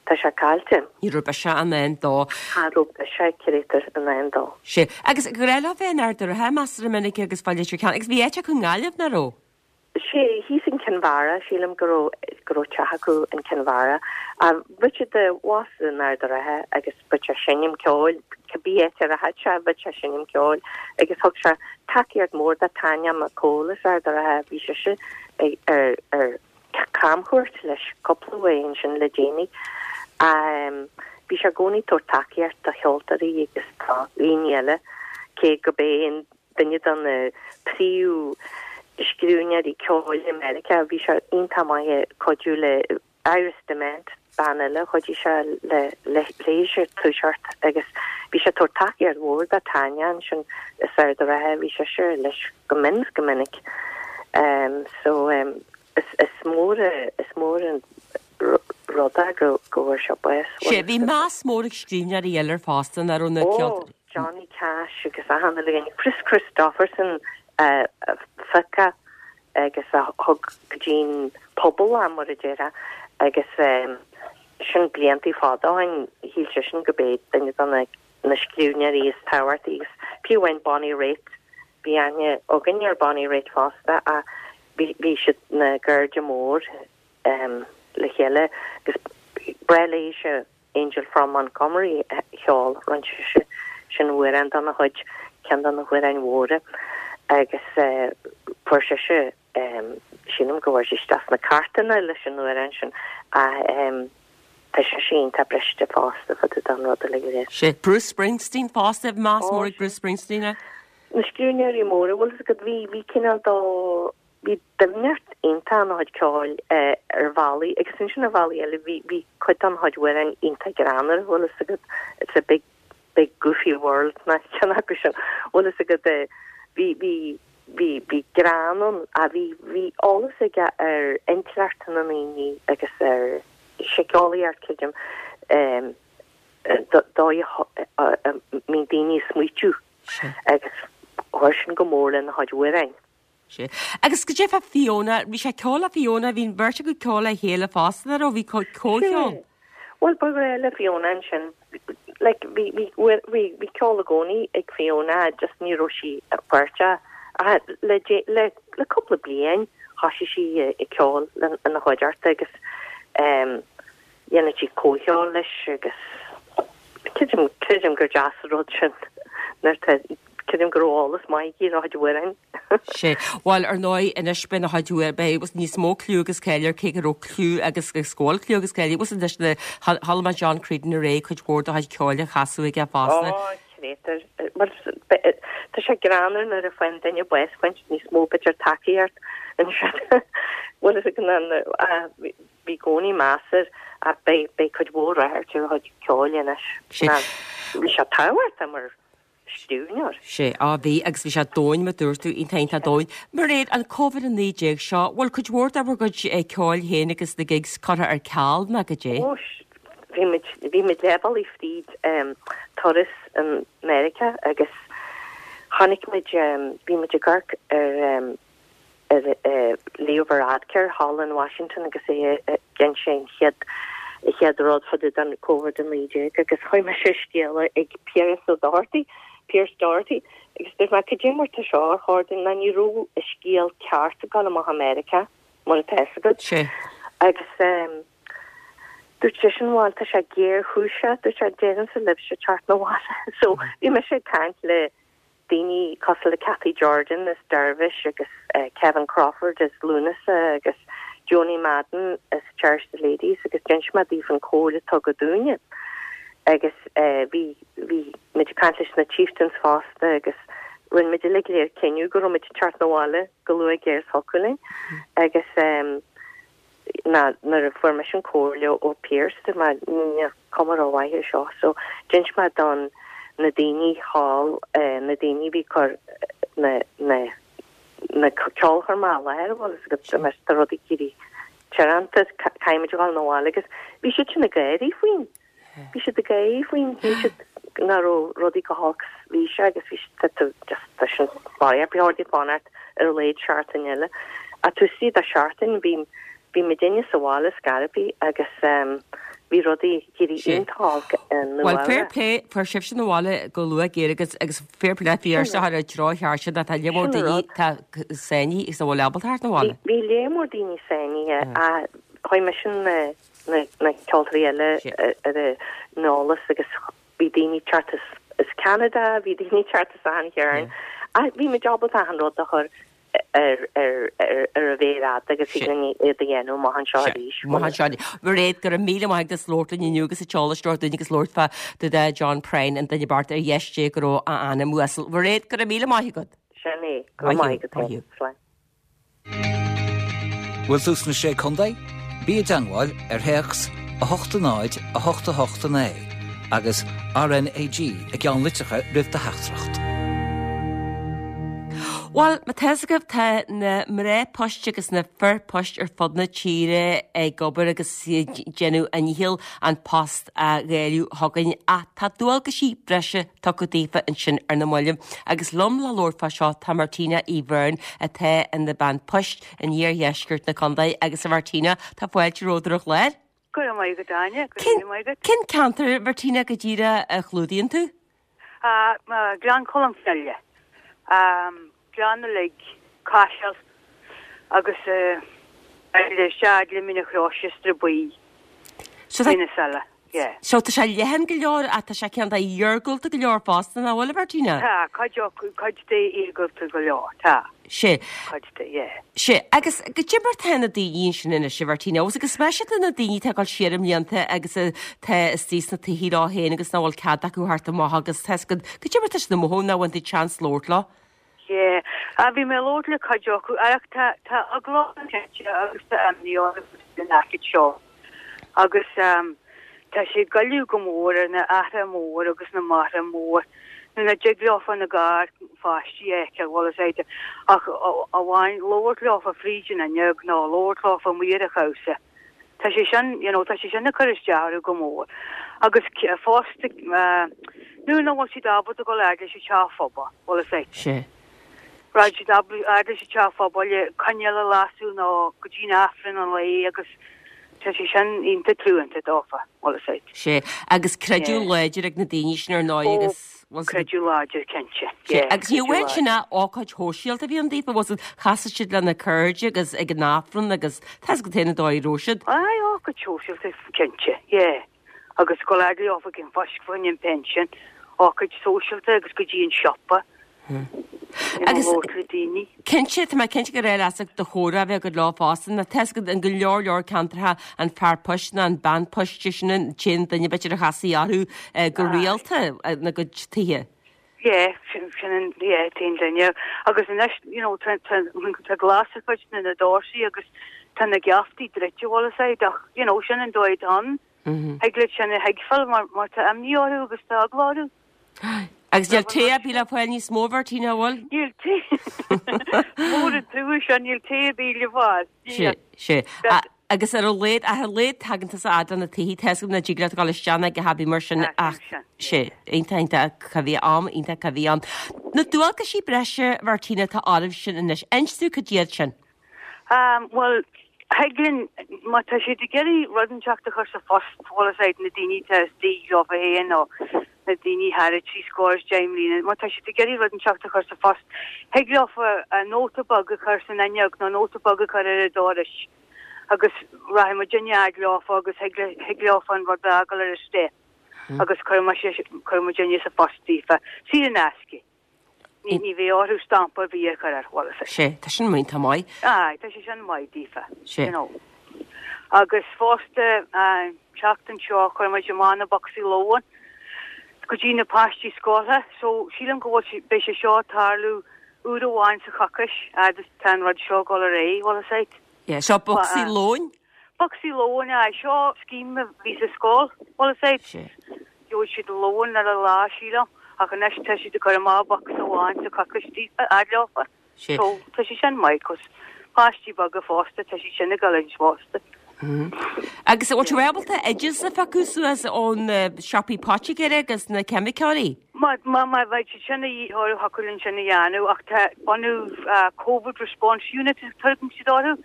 tá sé caillte. Ní raibh biseach i ndán dó. Cha raibh biseach créatúr i ndán dó. Sea. Agus ba ghnách leo bheith in Ard a' Rátha measartha minic agus fá Leitir Ceanainn agus bhí áit acu i nGaillimh, nach raibh? Sea, thíos in Cinn Mhara, sílim go raibh, go raibh teach acu in Cinn Mhara. Richard abhus in Ard a' Rátha agus bhíodh sé ag seinm ceoil, cibé áit a rachadh sé, bhíodh sé ag seinm ceoil agus thug sé tacaíocht mhór do Tanya McCole as Ard a' Rátha, bhí sise ag, ar, ar camchuairt leis cúpla uair ansin le déanaí. Bhí sé i gcónaí ag tabhairt tacaíocht do cheoltóirí agus do dhaoine eile, cé go b'é an duine de na príomhscríbhneoirí ceoil i Meiriceá. Bhí sé iontach maith ag cuidiú le Iris DeMent, bean eile, chuidigh sé le léise toiseacht agus bhí sé ag tabhairt tacaíocht mhór do Tanya ansin as Ard a' Rátha, bhí sise leis go mion is go minic. So is mór is mór an rud é go bhfuair sé bás. Sea, bhí meas mór ag scríbhneoirí eile air fosta, nach raibh na ceoltóirí. Johnny Cash agus achan uile dhuine, Kris Kristofferson a phioc é agus a thug go dtí'n pobal é mar a déarfá agus sin bliantaí fada ó shin, shíl seisean go b'é duine de na na scríbhneoirí is tábhachtaí agus fiú amháin Bonnie Raitt, bhí aithne againn ar Bonnie Raitt fosta ach bhí bhí siad na gcairde mór le chéile agus ba bhreá léise Angel from Montgomery a cheol, rinne sise sin amhrán dona chuid, ceann de na hamhráin mhóra agus fuair sise, sílim go bhfuair sí isteach sna cairteanna leis an amhrán sin ach tá sise iontach briste fosta fá dtaobh den rud uilig go léir. Sea, Bruce Springsteen fosta, bhí meas mór ag Bruce Springsteen air. Na scríbhneoirí móra, bhfuil fhios agat, bhí, bhí cineál dó, Bhí doimhneacht iontach ina chuid ceoil ar bhealaí agus ansin ar bhealaí eile bhí bhí cuid dá chuid amhráin iontach greannmhar, bhfuil fhios agat, it's a big big goofy world nó ceann acu sin, bhfuil fhios agat, bhí bhí bhí bhí greann ann ach bhí bhí eolas aige ar intleacht na ndaoine agus ar síceolaíocht creidim, dóigh a mbíonn daoine ag smaoitiú agus chuir sin go mór lena chuid amhráin. Sea. Agus goidé fá Fiona, bhí sé ag ceol le Fiona, bhí an bheirt acu ag ceol le chéile fosta, nach raibh, bhí comhcheol. Sea. Bhuel, ba ghnách le Fiona ansin, like, bhí, bhí, bhí, bhí ceol i gcónaí ag Fiona, just ní raibh sí páirteach ach le, le, le cúpla bliain thoisigh sí ag ceol ina chuideachta agus ehm dhéanadh sí comhcheol leis agus creidim, creidim gur deas an rud sin nuair tá. Creidim go raibh eolas maith aici ar a chuid amhráin. Sea. Bhuel, ar ndóigh, anois beidh na chuid uair, beidh níos mó cliú agus cáil air, cé go raibh cliú agus agus go bhfuil cliú agus cáil air. Bhuel, anois le, chuala mé John Creedon aréir, cuid mhór dá chuid ceoil á chasadh aige fosta. Ó, créatúr. Bhuel, tá sé greannmhar nuair a faigheann duine bás, faigheann siad níos mó, b'fhéidir, tacaíocht ansin. Bhuel, is ag an, bhí i gcónaí meas air ach beidh, beidh cuid mhór ráchairt ar a chuid ceoil anois. Sea. Bhí sé tábhachtach mar scríbhneoir. Sea, á bhí, agus bhí sé domhain, mar dúirt tú, iontach iontach domhain. Mairéad, an Covid-19 seo, bhfuil cuid mhór de bhur gcuid ceoil féin agus na gigs curtha ar ceal ná goidé? Ó, bhí muid, bhí muid leath bealaigh fríd turas i Meiriceá agus chonaic muid, bhí muid ag amharc ar, ar Leo Varadkar thall in Washington agus é ag inse an chéad chéad rud fá dtaobh den Covid-19 agus chuir mise scéala ag Pearse O'Doherty, Pearse Doherty, agus dúirt mé cad é mar tá seo ar chor dúinn ná ní raibh an scéal ceart ag dul amach i Meiriceá mar atá fhios agat. Sea. Agus dúirt seisean bhuel tá sé géarchúiseach, dúirt sé deirimse libhse teacht 'na bhaile. So bhí mise ag caint le daoine cosúil le Cathy Jordan as Dervish agus Kevin Crawford as Lúnasa agus Joanie Madden as Cherish the Ladies agus d'inis mé daofa an comhairle a tugadh dúinne agus bhí bhí muid ag caint leis na Chieftains fosta agus rinne muid uilig go léir cinneadh go raibh muid ag teacht 'na bhaile chomh luath géar is thiocfadh linn agus ná nuair a fuair mise an comhairle ó Pearse dúirt mé níl cuma rómhaith ar seo so d'inis mé don na daoine thall na daoine a bhí ag cur na na na ceolchoirme i láthair bhfuil fhios agat dúirt mé tá rudaí ag éirí tíoránta caithfidh muid a dhul 'na bhaile agus bhí siad sin ag gáirí faoin Bhí siad ag gáirí faoin, shíl siad nach raibh rudaí chomh holc is bhí sé agus bhí siad tá just tá sin ba chóir di fanacht ar a laghad seachtain eile. Ach taobh istigh de sheachtain bhí bhí muidinne sa bhaile scor ar bith agus bhí rudaí ag éirí iontach olc i Nua Bhuel fair play fuair sibhse 'na bhaile go luath géar agus agus fair play Pearse a chur i dtreo cheart sin tá lear mór daoine tá sáinnithe agus nach bhfuil ábalta theacht 'na bhaile. Bhí lear mór daoine sáinnithe ach chuir mise na na ceoltóirí eile ar an eolas agus bhí daoine ag teacht as Ceanada, bhí daoine ag teacht as achan chearn ach bhí muid ábalta achan rud a chur ar ar ar ar an mhéar fhada agus thig linn iad a dhéanamh amach anseo arís. Amach anseo arís. Mairéad, go raibh míle maith agat as labhairt linn inniu agus an t-eolas a thabhairt dúinn agus labhairt fá dtaobh de John Prine, an duine bocht ar dheis Dé go raibh a anam uasal. Mairéad, go raibh míle maith agat. Sin é. Go raibh maith agat féin. Slán. Bhfuil tú sna Sé Contae? Bí i dteangmháil ar théacs 8 0 8 8 9 agus RNAG i gceannlitreacha roimh do theachtaireacht. Bhuel, má tá fhios agaibh, tá na mná poist agus na fir poist ar fud na tíre ag obair agus ag déanamh a ndícheall an post a dháileadh chugainn ach tá dualgaisí breise tugtha daofa ansin ar na mallaibh. Agus liom le labhairt fá seo tá Martina Uí Bheirn atá ina bean poist in iardheisceart na contae agus a Mhartina, tá fáilte romhat ar an chlár. Go raibh maith agat Áine, go raibh míle maith agat. Cén ceantar, Martina, go díreach a chlúdaíonn tú? Gleann Cholm Cille. Gleann uilig, Caiseal agus isteach le Mín an Chrois is Sraith Buí, Mín Saile, yeah. So tá sé leathan go leor ach tá sé cineál iargúlta go leor fosta, nach bhfuil, a Mhartina? Tá, cuid acu, cuid de iargúlta go leor, tá. Sea. Cuid de, yeah. Sea, agus goidé mar tá na daoine ansin anois, a Mhartina, agus go speisialta na daoine atá ag dul siar i mblianta agus atá istigh sna tithe leo féin agus nach bhfuil cead acu theacht amach agus tá 'fhios agat, goidé mar tá siad ag mothú nach bhfuil tú chance labhairt leo. Yeah, ah bhí mé ag labhairt le cuid acu ach tá tá eagla orthu cinnte agus tá imní orthu faoin aicíd seo agus ehm tá sé ag goilleadh go mór ar na aithre mór agus na máithre mór nuair nach dtig leofa na gar pháistí a fheiceáil bhfuil fhios a'd ach amháin labhairt leofa fríd an fhuinneog nó labhairt leofa amuigh ar an chabhsa. Tá sé sin, you know, tá sé sin ag cur isteach orthu go mór. Agus fosta, nuair nach bhfuil siad ábalta dul fhad leis an teach phobail, bhfuil fhios a'd. Sea. Rachaidh siad fhad leis an teach phobail le coinneal a lasadh nó go dtí an Aifreann an lae agus tá sé sin iontach truanta dófa, bhfuil fhios a'd. Sea. Agus creideamh láidir ag na daoine sin ar ndóigh agus. Creideamh láidir, cinnte. Yeah, Agus ní amháin sin ach ócáid shóisialta a bhí ann daofa, bhfuil fhios agat, chasfadh siad lena cairde agus ag an Aifreann agus tá fhios agat féin an dóigh a raibh siad. Aye, ócáid shóisialta, cinnte, yeah. Agus go fhad leofa ag an phoist fá choinne an pension, ócáid sóisialta agus go dtí an siopa. Agus cinnte, tá mé cinnte gur éirigh leat do chomhrá a bheith agat leo fosta, nó tá a fhios agat in go leor leor ceantracha an fear poist nó an bean poist sin an t-aon duine b'fhéidir a chasfaí orthu go rialta ina gcuid tithe. Yeah, sin an, yeah, t-aon duine. Agus anois, you know, tá, tá, tá glas ar chuid de na doirse agus tá na geaftaí druidte, bhfuil a fhios agat, ach, you know, sin an dóigh atá ann. Thig leat sin a thuigbheáil mar, mar tá imní orthu agus tá eagla orthu. Agus níl tae ar bith le fáil níos mó, a Mhartina, an bhfuil? Níl tae. Mór an trua sin, níl tae ar bith le fáil. Sea, sea. Agus ar a laghad, ach ar a laghad tagann tusa fhad le na tithe, tá a fhios agam nach dtig leat dul isteach ná a dhath ar bith mar sin ach sea, iontach, iontach, cá bhí am iontach cá bhí ann. Na dualgaisí breise, Mhartina, atá oraibh sin anois, inis dúinn cad iad sin. Bhuel, thig linn, má tá siad ag iarraidh rud inteacht a chur sa phost, bhfuil a fhios agat, na daoine atá istigh leofa féin nó na daoine thar a 70 mbliana, má tá siad ag iarraidh rud inteacht a chur sa phost, thig leofa nóta beag a chur san fhuinneog nó nóta beag a chur ar an doras agus rachaidh muidinne fhad leofa agus thig leofa an rud a fhágáil ar an step agus cuirfidh muidinne sa phost daofa, saor in aisce. Ní, ní bheidh orthu stampa ar bith a chur air, bhfuil a fhios agat. Sea, tá sin iontach maith. Aye, tá sé sin maith daofa, Sea. you know. Agus fosta, an tseachtain seo, chuir muid amach na bocsaí lóin go dtí na páistí scoile, so sílim go bhfuil sé, beidh sé seo ag tarlú uair amháin sa choicís, fhad is tá an rud seo ag dul ar aghaidh, bhfuil a fhios agat. Yeah, seo bocsaí lóin? Bocsaí lóin, aye, seo scheme a bhí sa scoil, bhfuil a fhios agat. Sea. Gheobhaidh siad lón ar a lá, sílim, ach anois tá siad ag cur amach bocsa amháin sa choicís daofa, fhad leofa. Sea. So, tá sé sin maith, 'cause páistí beaga fosta, tá siad sin ag dul anois fosta. Agus an bhfuil tú ábalta oideas a phiocadh suas ón siopaí poitigéara agus na ceimiceoirí? Má, má, má bheidh siad sin a dhíth orthu, thiocfadh linn sin a dhéanamh, ach tá bunú Covid Response Unit a tugann siad orthu,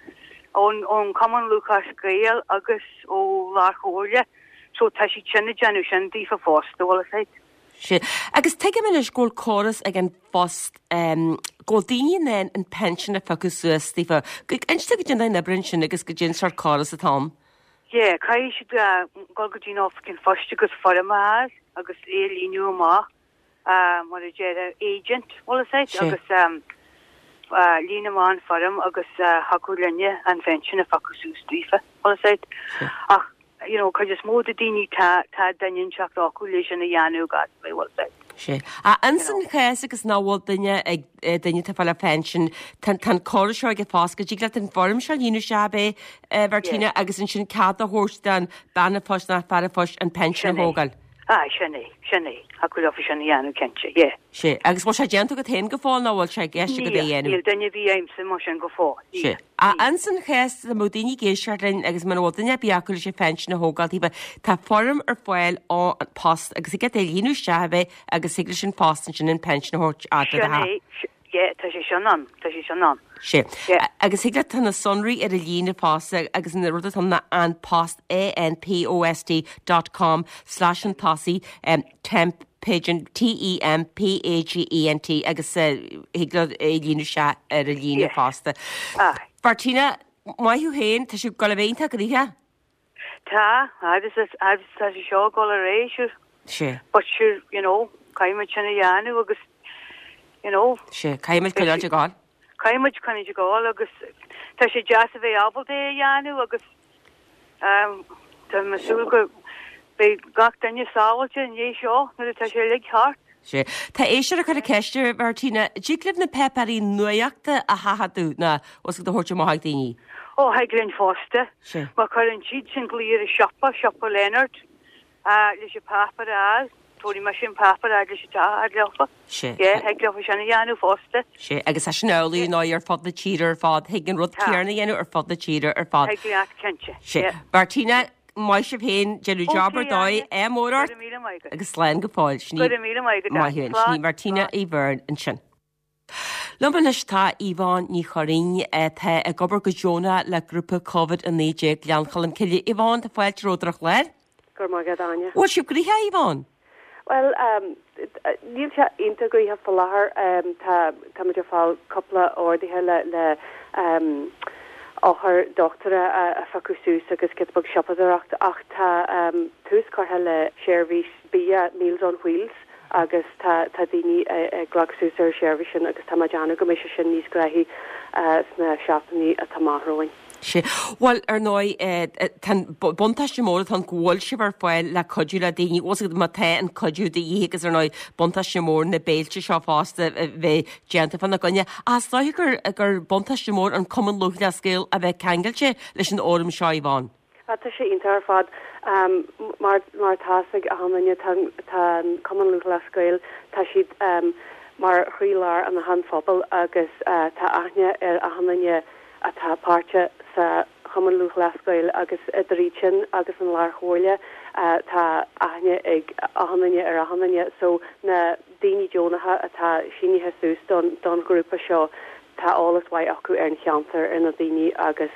ón, ón Cumann Lúthchleas Gael agus ó Lár-Chomhairle. So tá siad sin ag déanamh sin daofa fosta, bhfuil a fhios agat. Sea. Agus tuigim anois go bhfuil córas ag An Post go bhfuil daoine in ann an pension a phiocadh suas daofa. Inis dúinn goidé an obair ansin agus goidé an sórt córas atá ann. Yeah, caithfidh siad dul go dtí an oifig an phoist agus foirm a fháil agus é a líonadh amach. mar a déarfá agent, bhfuil a fhios agat, agus líon amach an foirm agus thiocfadh linne an phension a phiocadh suas daofa, bhfuil a fhios agat. Ach, you know, cuid is mó de daoine tá, tá duine inteacht acu le sin a dhéanamh gach mí, bhfuil a fhios agat. Sea. Ach ins an chás agus nach bhfuil duine ag, duine atá ag fáil a phension, tá, tá an córas seo ag an Phost go dtig leat an foirm seo a líonadh isteach ab é, a Mhartina, agus ansin cead a thabhairt don bean an phoist nó fear an phoist an pension a thógáil. Aye, sin é, sin é. Thiocfadh leofa sin a dhéanamh cinnte, yeah. Sea. Agus bhfuil sé déanta agat féin go fóill nó bhfuil sé i gceist agat é a dhéanamh? Níl, níl duine ar bith agamsa mar sin go fóill, níl. Sea. Ach ins an chás dá mbeadh daoine ag éisteacht linn agus muna bhfuil duine ar bith acu leis an phension a thógáil daofa, tá foirm ar fáil ón Post agus thig leat é a líonadh isteach ab é agus thig leis an Phost ansin an pension a thabhairt fhad le do Sin é, Yeah, tá sé sin ann, tá sé sin ann. Sea. Yeah. Agus thig leat, tá na sonraí ar an líne fosta agus an rud atá ann ná An Post, A-N-P-O-S-T dot com slash chun tosaigh, em, temp pagent, T-E-M-P-A-G-E-N-T agus eh, thig leat é a líonadh isteach ar an líne Yeah. fosta. Aye. Martina, maith thú féin, tá sé ag dul a bheith iontach gnoitheach. Tá, agus agus tá sé seo ag dul ar aghaidh, sure. Sea. But sure, you know, caithfidh muid sin a dhéanamh agus, you know. Sea, caithfidh muid coinneáil ag gabháil. Caithfidh muid coinneáil ag gabháil agus tá sé deas a bheith ábalta é a dhéanamh agus um, tá mé ag súil go beidh gach duine sábháilte i ndiaidh seo nuair atá sé uilig thart. Sea. Tá éisteoir ag cur ceiste, a Mhartina, dtig libh na páipéirí nuachta a sheachadadh nó os a thabhairt amach ag daoine? Ó, thig linn fosta. Sea. Má chuireann siad sin glao ar an siopa, siopa Leonard, leis an páipéar a fháil, tabharfaidh mise an páipéar fhad leis an teach fhad leofa. Sea. Yeah, thig leofa sin a dhéanamh fosta. Sea, agus tá sin amhlaidh nó ar fud na tíre ar fad, thig an rud céanna a dhéanamh ar fud na tíre ar fad. Thig leat, cinnte. Sea. Yeah. Martina, Maith sibh féin, déanamh job ar dóigh, ádh mór ort agus slán go fóill. Sin í Maith thú, sin í Martina Uí Bheirn ansin. Liom anois tá Yvonne Ní Churraoin atá ag obair go deonach le grúpa Covid-19 Ghleann Cholm Cille. Yvonne, tá fáilte romhat ar an chlár. Go raibh maith agat, Áine. Bhfuil sibh gnoitheach, Yvonne? Bhuel, níl sé iontach gnoitheach faoi láthair. Tá, tá muid ag fáil cúpla orduithe le, le eochair dochtúra a phiocadh suas agus giota beag siopadóireacht ach tá tús curtha le seirbhís bia Meals on Wheels. agus tá tá daoine ag glacadh suas ar an seirbhís sin agus tá mé ag déanamh go mbeidh sé sin níos gnóthaí sna seachtainí atá amach romhainn. Sea. Bhuel, ar ndóigh, tá an buntáiste mór atá ann go bhfuil sibh ar fáil le cuidiú le daoine, bhfuil a fhios agat má tá an cuidiú de dhíth agus ar ndóigh buntáiste mór na béilte seo fosta a bheith déanta fána gcoinne. Ach is dóiche gur gur buntáiste mór an Cumann Lúthchleas Gael a bheith ceangailte leis an fhóram seo, Yvonne. Tá sé iontach ar fad. Mar mar atá fhios ag achan duine tá tá an Cumann Lúthchleas Gael, tá siad mar chroí-lár an achan phobal agus tá aithne ar achan duine atá páirteach sa Chumann Lúthchleas Gael agus idir iad sin agus an Lár-Chomhairle tá aithne ag achan duine ar achan duine. So na daoine deonacha atá sínithe suas don don ghrúpa seo Tá eolas mhaith acu ar an cheantar, ar na daoine agus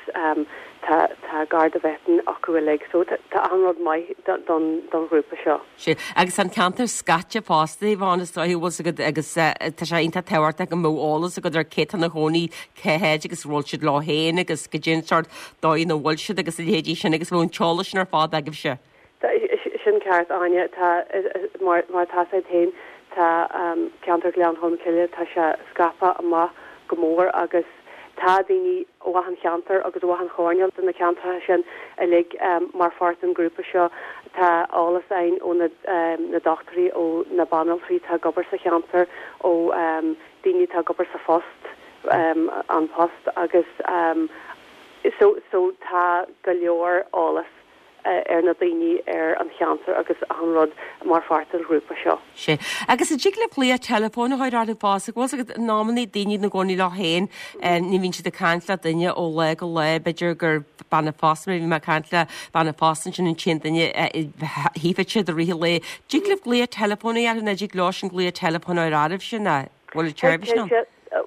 tá tá gar do mheáchan acu uilig. So tá achan rud maith don don ghrúpa seo. Sea, agus tá an ceantar scaite fosta, Yvonne, is dóiche, bhfuil 's agat, agus tá sé iontach tábhachtach go mbeadh eolas agat ar cé tá ina chónaí cá háit agus an bhfuil siad leo féin agus goidé an sórt dóigh ina bhfuil siad agus a leithéidí sin agus bheadh an t-eolas sin ar fad agaibhse. Sin ceart, Áine. Tá, mar atá 's agat féin, tá ceantar Ghleann Cholm Cille, tá sé scaipthe amach go mór agus tá daoine ó achan cheantar agus ó achan choirnéal de na ceantracha sin uilig mar pháirt den ghrúpa seo. Tá eolas againn ó na dochtúirí, ó na banaltraí atá ag obair sa cheantar, ó daoine atá ag obair sa phost, An Post agus so so tá go leor eolas ar na daoine, ar an cheantar agus achan rud mar pháirt den ghrúpa seo. Sea. Agus an dtig libh glaoch teileafóin a chur orthu fosta? Bhfuil 's agat, in amannaí daoine ina gcónaí leo féin, ní bhíonn siad ag caint le duine ó lá go lá, b'fhéidir gur bean an phosta, mar bhí mé ag caint le bean an phosta ansin an t-aon duine a chífeadh siad i rith an lae. Dtig libh glaoch teileafóin a dhéanamh nó dtig leo sin glaoch teileafóin a chur oraibhse nó bhfuil an tseirbhís ann?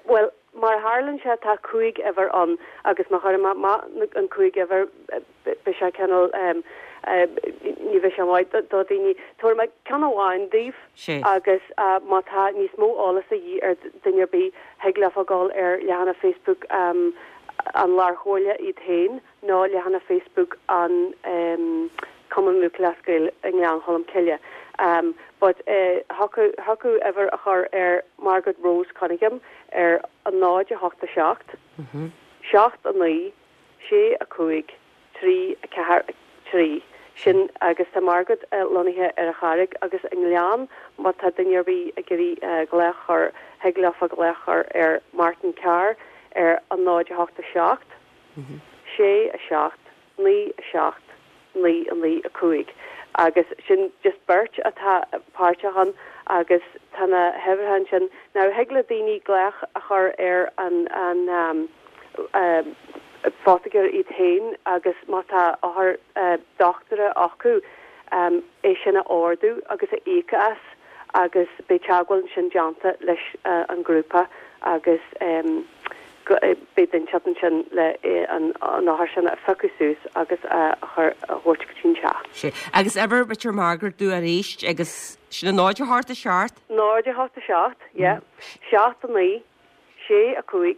Bhuel, mar a tharlaíonn sé tá 5 uimhir ann agus má chuirim amach an 5 uimhir, beidh sé cineál, ní bheidh sé maith do dhaoine. Tabharfaidh mé ceann amháin daoibh agus má tá níos mó eolas a dhíth ar duine ar bith, thig leofa dul ar leathanach Facebook an Lárchomhairle iad féin nó leathanach Facebook an Cumann Lúthchleas Gael i nGleann Cholm Cille. But thiocfadh uimhir a chur ar Margaret Rose Cunningham ar 0 8 7 7 9 6 5 3 4 3, sin agus tá Margaret lonnaithe ar an Charraig agus i nGleann má tá duine ar bith ag iarraidh glaoch a chur, thig leofa glaoch a chur ar Martin Carr ar an 0 8 7 6 7 9 7 9 9 5 agus sin just beirt atá páirteach ann agus tá na huimhreacha ansin. Now thig le daoine glaoch a chur ar an an photaiceoir iad féin agus má tá othar dochtúra acu é sin a ordú agus a íoc as agus beidh teagmháil ansin déanta leis an ghrúpa agus beidh duine inteacht ansin le an othar sin a phiocadh suas agus a chur a thabhairt go dtí an teach. Sea. Agus uimhir b'fhéidir Margaret dúinn arís agus sin a 0 8 7? 0 8 7, yeah. 7 9 6 5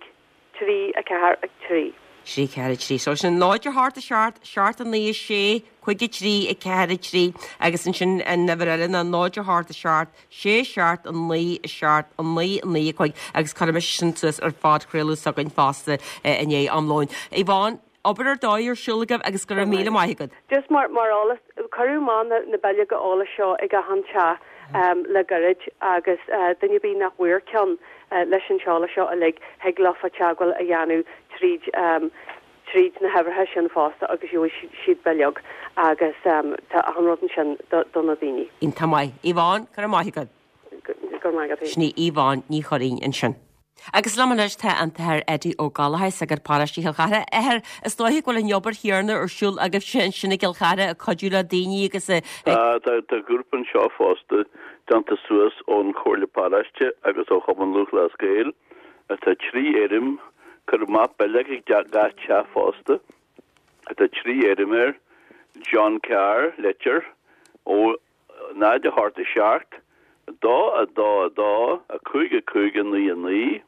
3 4 3. 3 4 3. So sin 0 8 7 7 9 6 5 3 4 3 agus ansin an uimhir eile ná 0 8 7 6 7 9 7 9 9 5 agus cuirfidh mise sin suas ar phodchraoladh s'againn fosta i ndiaidh am lóin. Yvonne, obair ar dóigh ar siúl agaibh agus go raibh míle maith agat. Just mar mar eolas, cuireadh amach na na bileoga eolais seo ag achan teach le gairid agus duine ar bith nach bhfuair ceann leis an t-eolas seo uilig, thig leofa teagmháil a dhéanamh tríd tríd na huimhreacha sin fosta agus gheobhaidh siad bileog agus tá achan rud ansin do na daoine. Iontach maith. Yvonne, go raibh maith agat. Go raibh maith agat. Sin í Yvonne Ní Churraoin ansin. Agus liom anois tá an tAthair Eddie Ó Gallchóir, sagart paróiste Chill Chartha. Athair, is dóiche go bhfuil an obair chéanna ar siúl agaibhse ansin i gCill Chartha ag cuidiú le daoine agus ag. Tá, tá grúpa anseo fosta déanta suas ón Chomhairle Paróiste agus ó Chumann Lúthchleas Gael. Tá 3 fhoirm, cuireadh amach bileog ag gach teach fosta. Tá 3 fhoirm air, John Carr, Leitir, ó 0 8 7, 2 2 2, 5 5 9 9,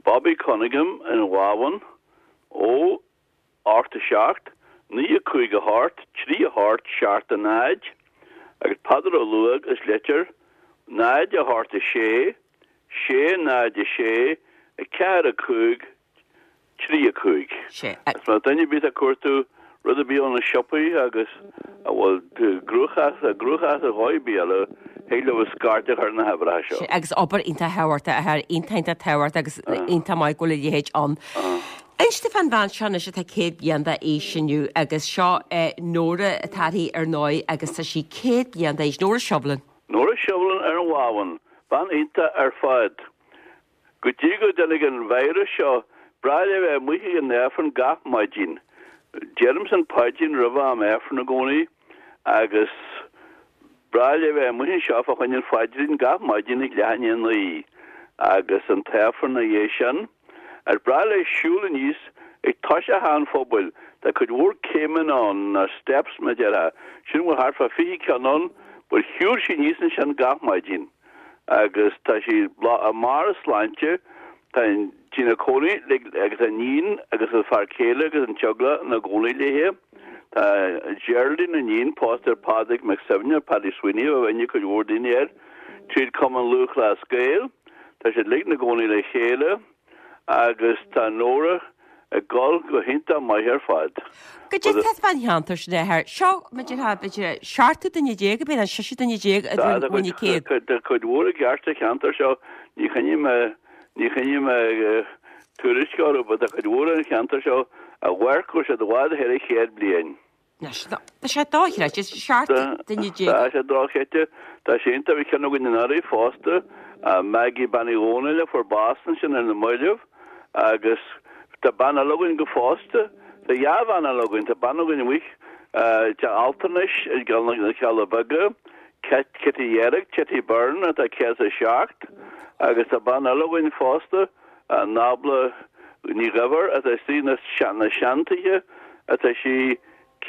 Bobby Cunningham in Ghabhann, ó 8 7, 9 5 8, 3 8 7 0, agus Peadar Ó Luaig as Leitir, 0 8 6 6 0 6 4 5 3 5. 6. Agus má tá duine ar bith ag cuartú rud ar bith ó na siopaí agus a bhfuil cruachás ar dhóigh ar bith eile, thig leo scairt a chur ar na huimhreacha seo. 6, agus obair iontach thábhachtach, a athair, iontach iontach tábhachtach agus iontach maith go bhfuil a leithéid ann. Inis domh fán bhean seo anois atá 100 bliain d'aois inniu agus seo Nóra atá uirthi ar ndóigh agus tá sí 100 bliain d'aois, Nóra Shevlin. Nóra Shevlin ar an Bhábhún, bean iontach ar fad. Go dtí go dtáinig an virus seo, b'bhreá léi a bheith amuigh ag an Aifreann gach maidin. Deirimse an paidrín roimh am Aifrinn i gcónaí agus b'bhreá léi a bheith amuigh anseo fá choinne an phaidrín gach maidin ag leath i ndiaidh a 9 agus an tAifreann ina dhiaidh sin. Agus b'bhreá léi siúl aníos ag toiseach theach an phobail. Tá cuid mhór céimeanna ann, nó steps mar a déarfá. Sin bhfuil thart fá 20 ceann ann, but shiúil sí aníos ansin gach maidin. agus tá sí i mbarr a sláinte, tá sí ina cónaí agus a iníon agus a fear céile agus an teaghlach ina gcónaí léi. Tá Geraldine, a iníon, pósta ar Phádraig McSevney, Paddy Sweeney, a bhfuil aithne ag cuid mhór daoine air, tríd Cumann Lúthchleas Gael. Tá siad uilig ina gcónaí le chéile. Agus tá Nóra ag dul go hiontach maith ar fad. Goidé tá fán cheantar sin a athair. Seo, b'fhéidir, b'fhéidir, 17 duine, ab é nó 16 duine a bhain an céad. Tá cuid mhór i gceart sa cheantar seo, ní choinním ní choinním tuairisc orthu, but tá cuid mhór an cheantar seo a mhair go bhfuil siad i bhfad thar an chéad bliain. Tá sé dochreidte, 17 duine. Tá sé dochreidte. Tá sé iontach. Bhí ceann againn anuraidh fosta, Maggie Bean Uí Dhónaill a fuair bás ansin ar na mallaibh agus tá bean eile againn go fosta. Tá dhá bhean eile againn. Tá bean againn amuigh i dteach altranais i gCeann na Cealla Beaga, Kitty Dheirg, Kitty Byrne atá 107 agus tá bean eile againn fosta, Nábla Ní Dhuibhir atá istigh sna seantithe atá sí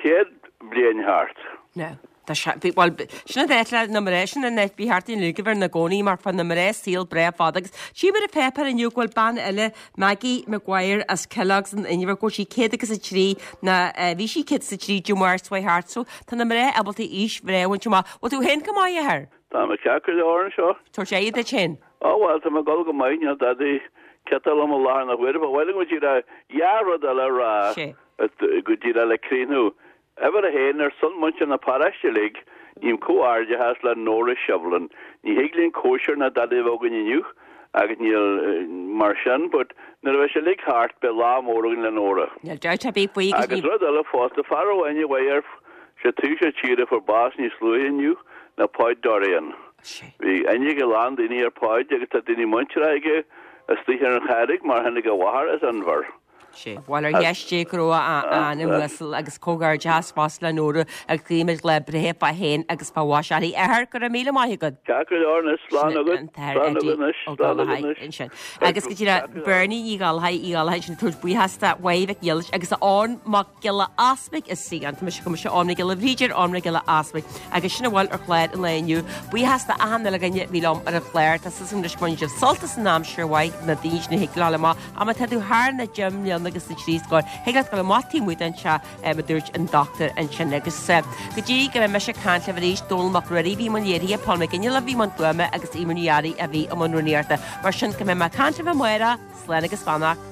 100 bliain thart. Now, tá sé, bhí, bhuel, sin an áit le na mná, sin an áit, bhí thart in Lugavere ina gcónaí mar fuair na mná saol breá fada agus tchím ar an pháipéar inniu go bhfuil bean eile, Maggie Maguire as Kellogg's in Inbhir, go bhfuil sí 103, ná bhí sí 103 Dé Máirt seo thart so tá na mná ábalta aois bhreá a bhaint amach. Bhfuil tú féin go maith, a athair? Tá mé ceart go leor anseo. Tabhairt aghaidh duit féin. Ó bhuel, tá mé ag dul go maith, níl dadaí ciotach liom i láthair na huaire. Ba mhaith liom go díreach dhá rud eile a rá go díreach le críochnú. Uimhir a haon, ar son muintir na paróiste uilig, ním comhghairdeachas le Nóra Shevlin. Ní thig linn cóisir ná dadaí a bheith againn inniu agus níl mar sin, but nuair a bheidh sé uilig thart beidh lá mór againn le Nóra. Níl dabht ar bith faoi agus ní. Agus rud eile fosta, fear amháin a bheidh ar sé taobh seo tíre a fuair bás níos luaithe inniu ná Páid Dorrian. Bhí aithne ag a lán daoine ar Pháid agus tá daoine muinteartha aige istigh ar an Charraig mar tháinig a mháthair as Inbhear. Sea, bhuel ar dheis Dé go raibh a anam uasal agus comhghairdeachas fosta le Nóra agus guímid lá breithe fá shéan agus fá mhaise uirthi. A athair, go raibh míle maith agat. Ceart go leor anois, slán agat, Sin an t-athair slán agat Eddie anois, Ó slán agat Gallchóir anois. ansin. Agus go díreach Bernie Ní Ghallchóir, Uí Ghallchóir ansin ag tabhairt buíochas do Mháire Mhic Niallais agus a Eoin Mac Giolla Easpaig is sí an, tá mise go mise Eoin Mac Giolla Bhríde ar Eoin Mac Giolla Easpaig agus sin a bhfuil ar chlár an lae inniu. Buíochas do achan uile dhuine a bhí liom ar an chlár. Tá súil agam anois go mbainfidh sibh sult as an aimsir mhaith na daoine sin a thig leo a ghabháil amach. Ach má tá tú thar na deich mbliana agus na trí scór, thig leat dul amach taobh amuigh den teach, a dúirt an dochtúir ansin. Agus go dtí go mbeidh mise ag caint libh arís, Dónal Mac Ruairí a bhí i mbun léirithe, Paul McGinley a bhí i mbun fuaime agus Eimear Ní Fhearraigh a bhí i mbun rúnaíochta. Mar sin, go mbeidh mé ag caint libh amárach, slán agus beannacht.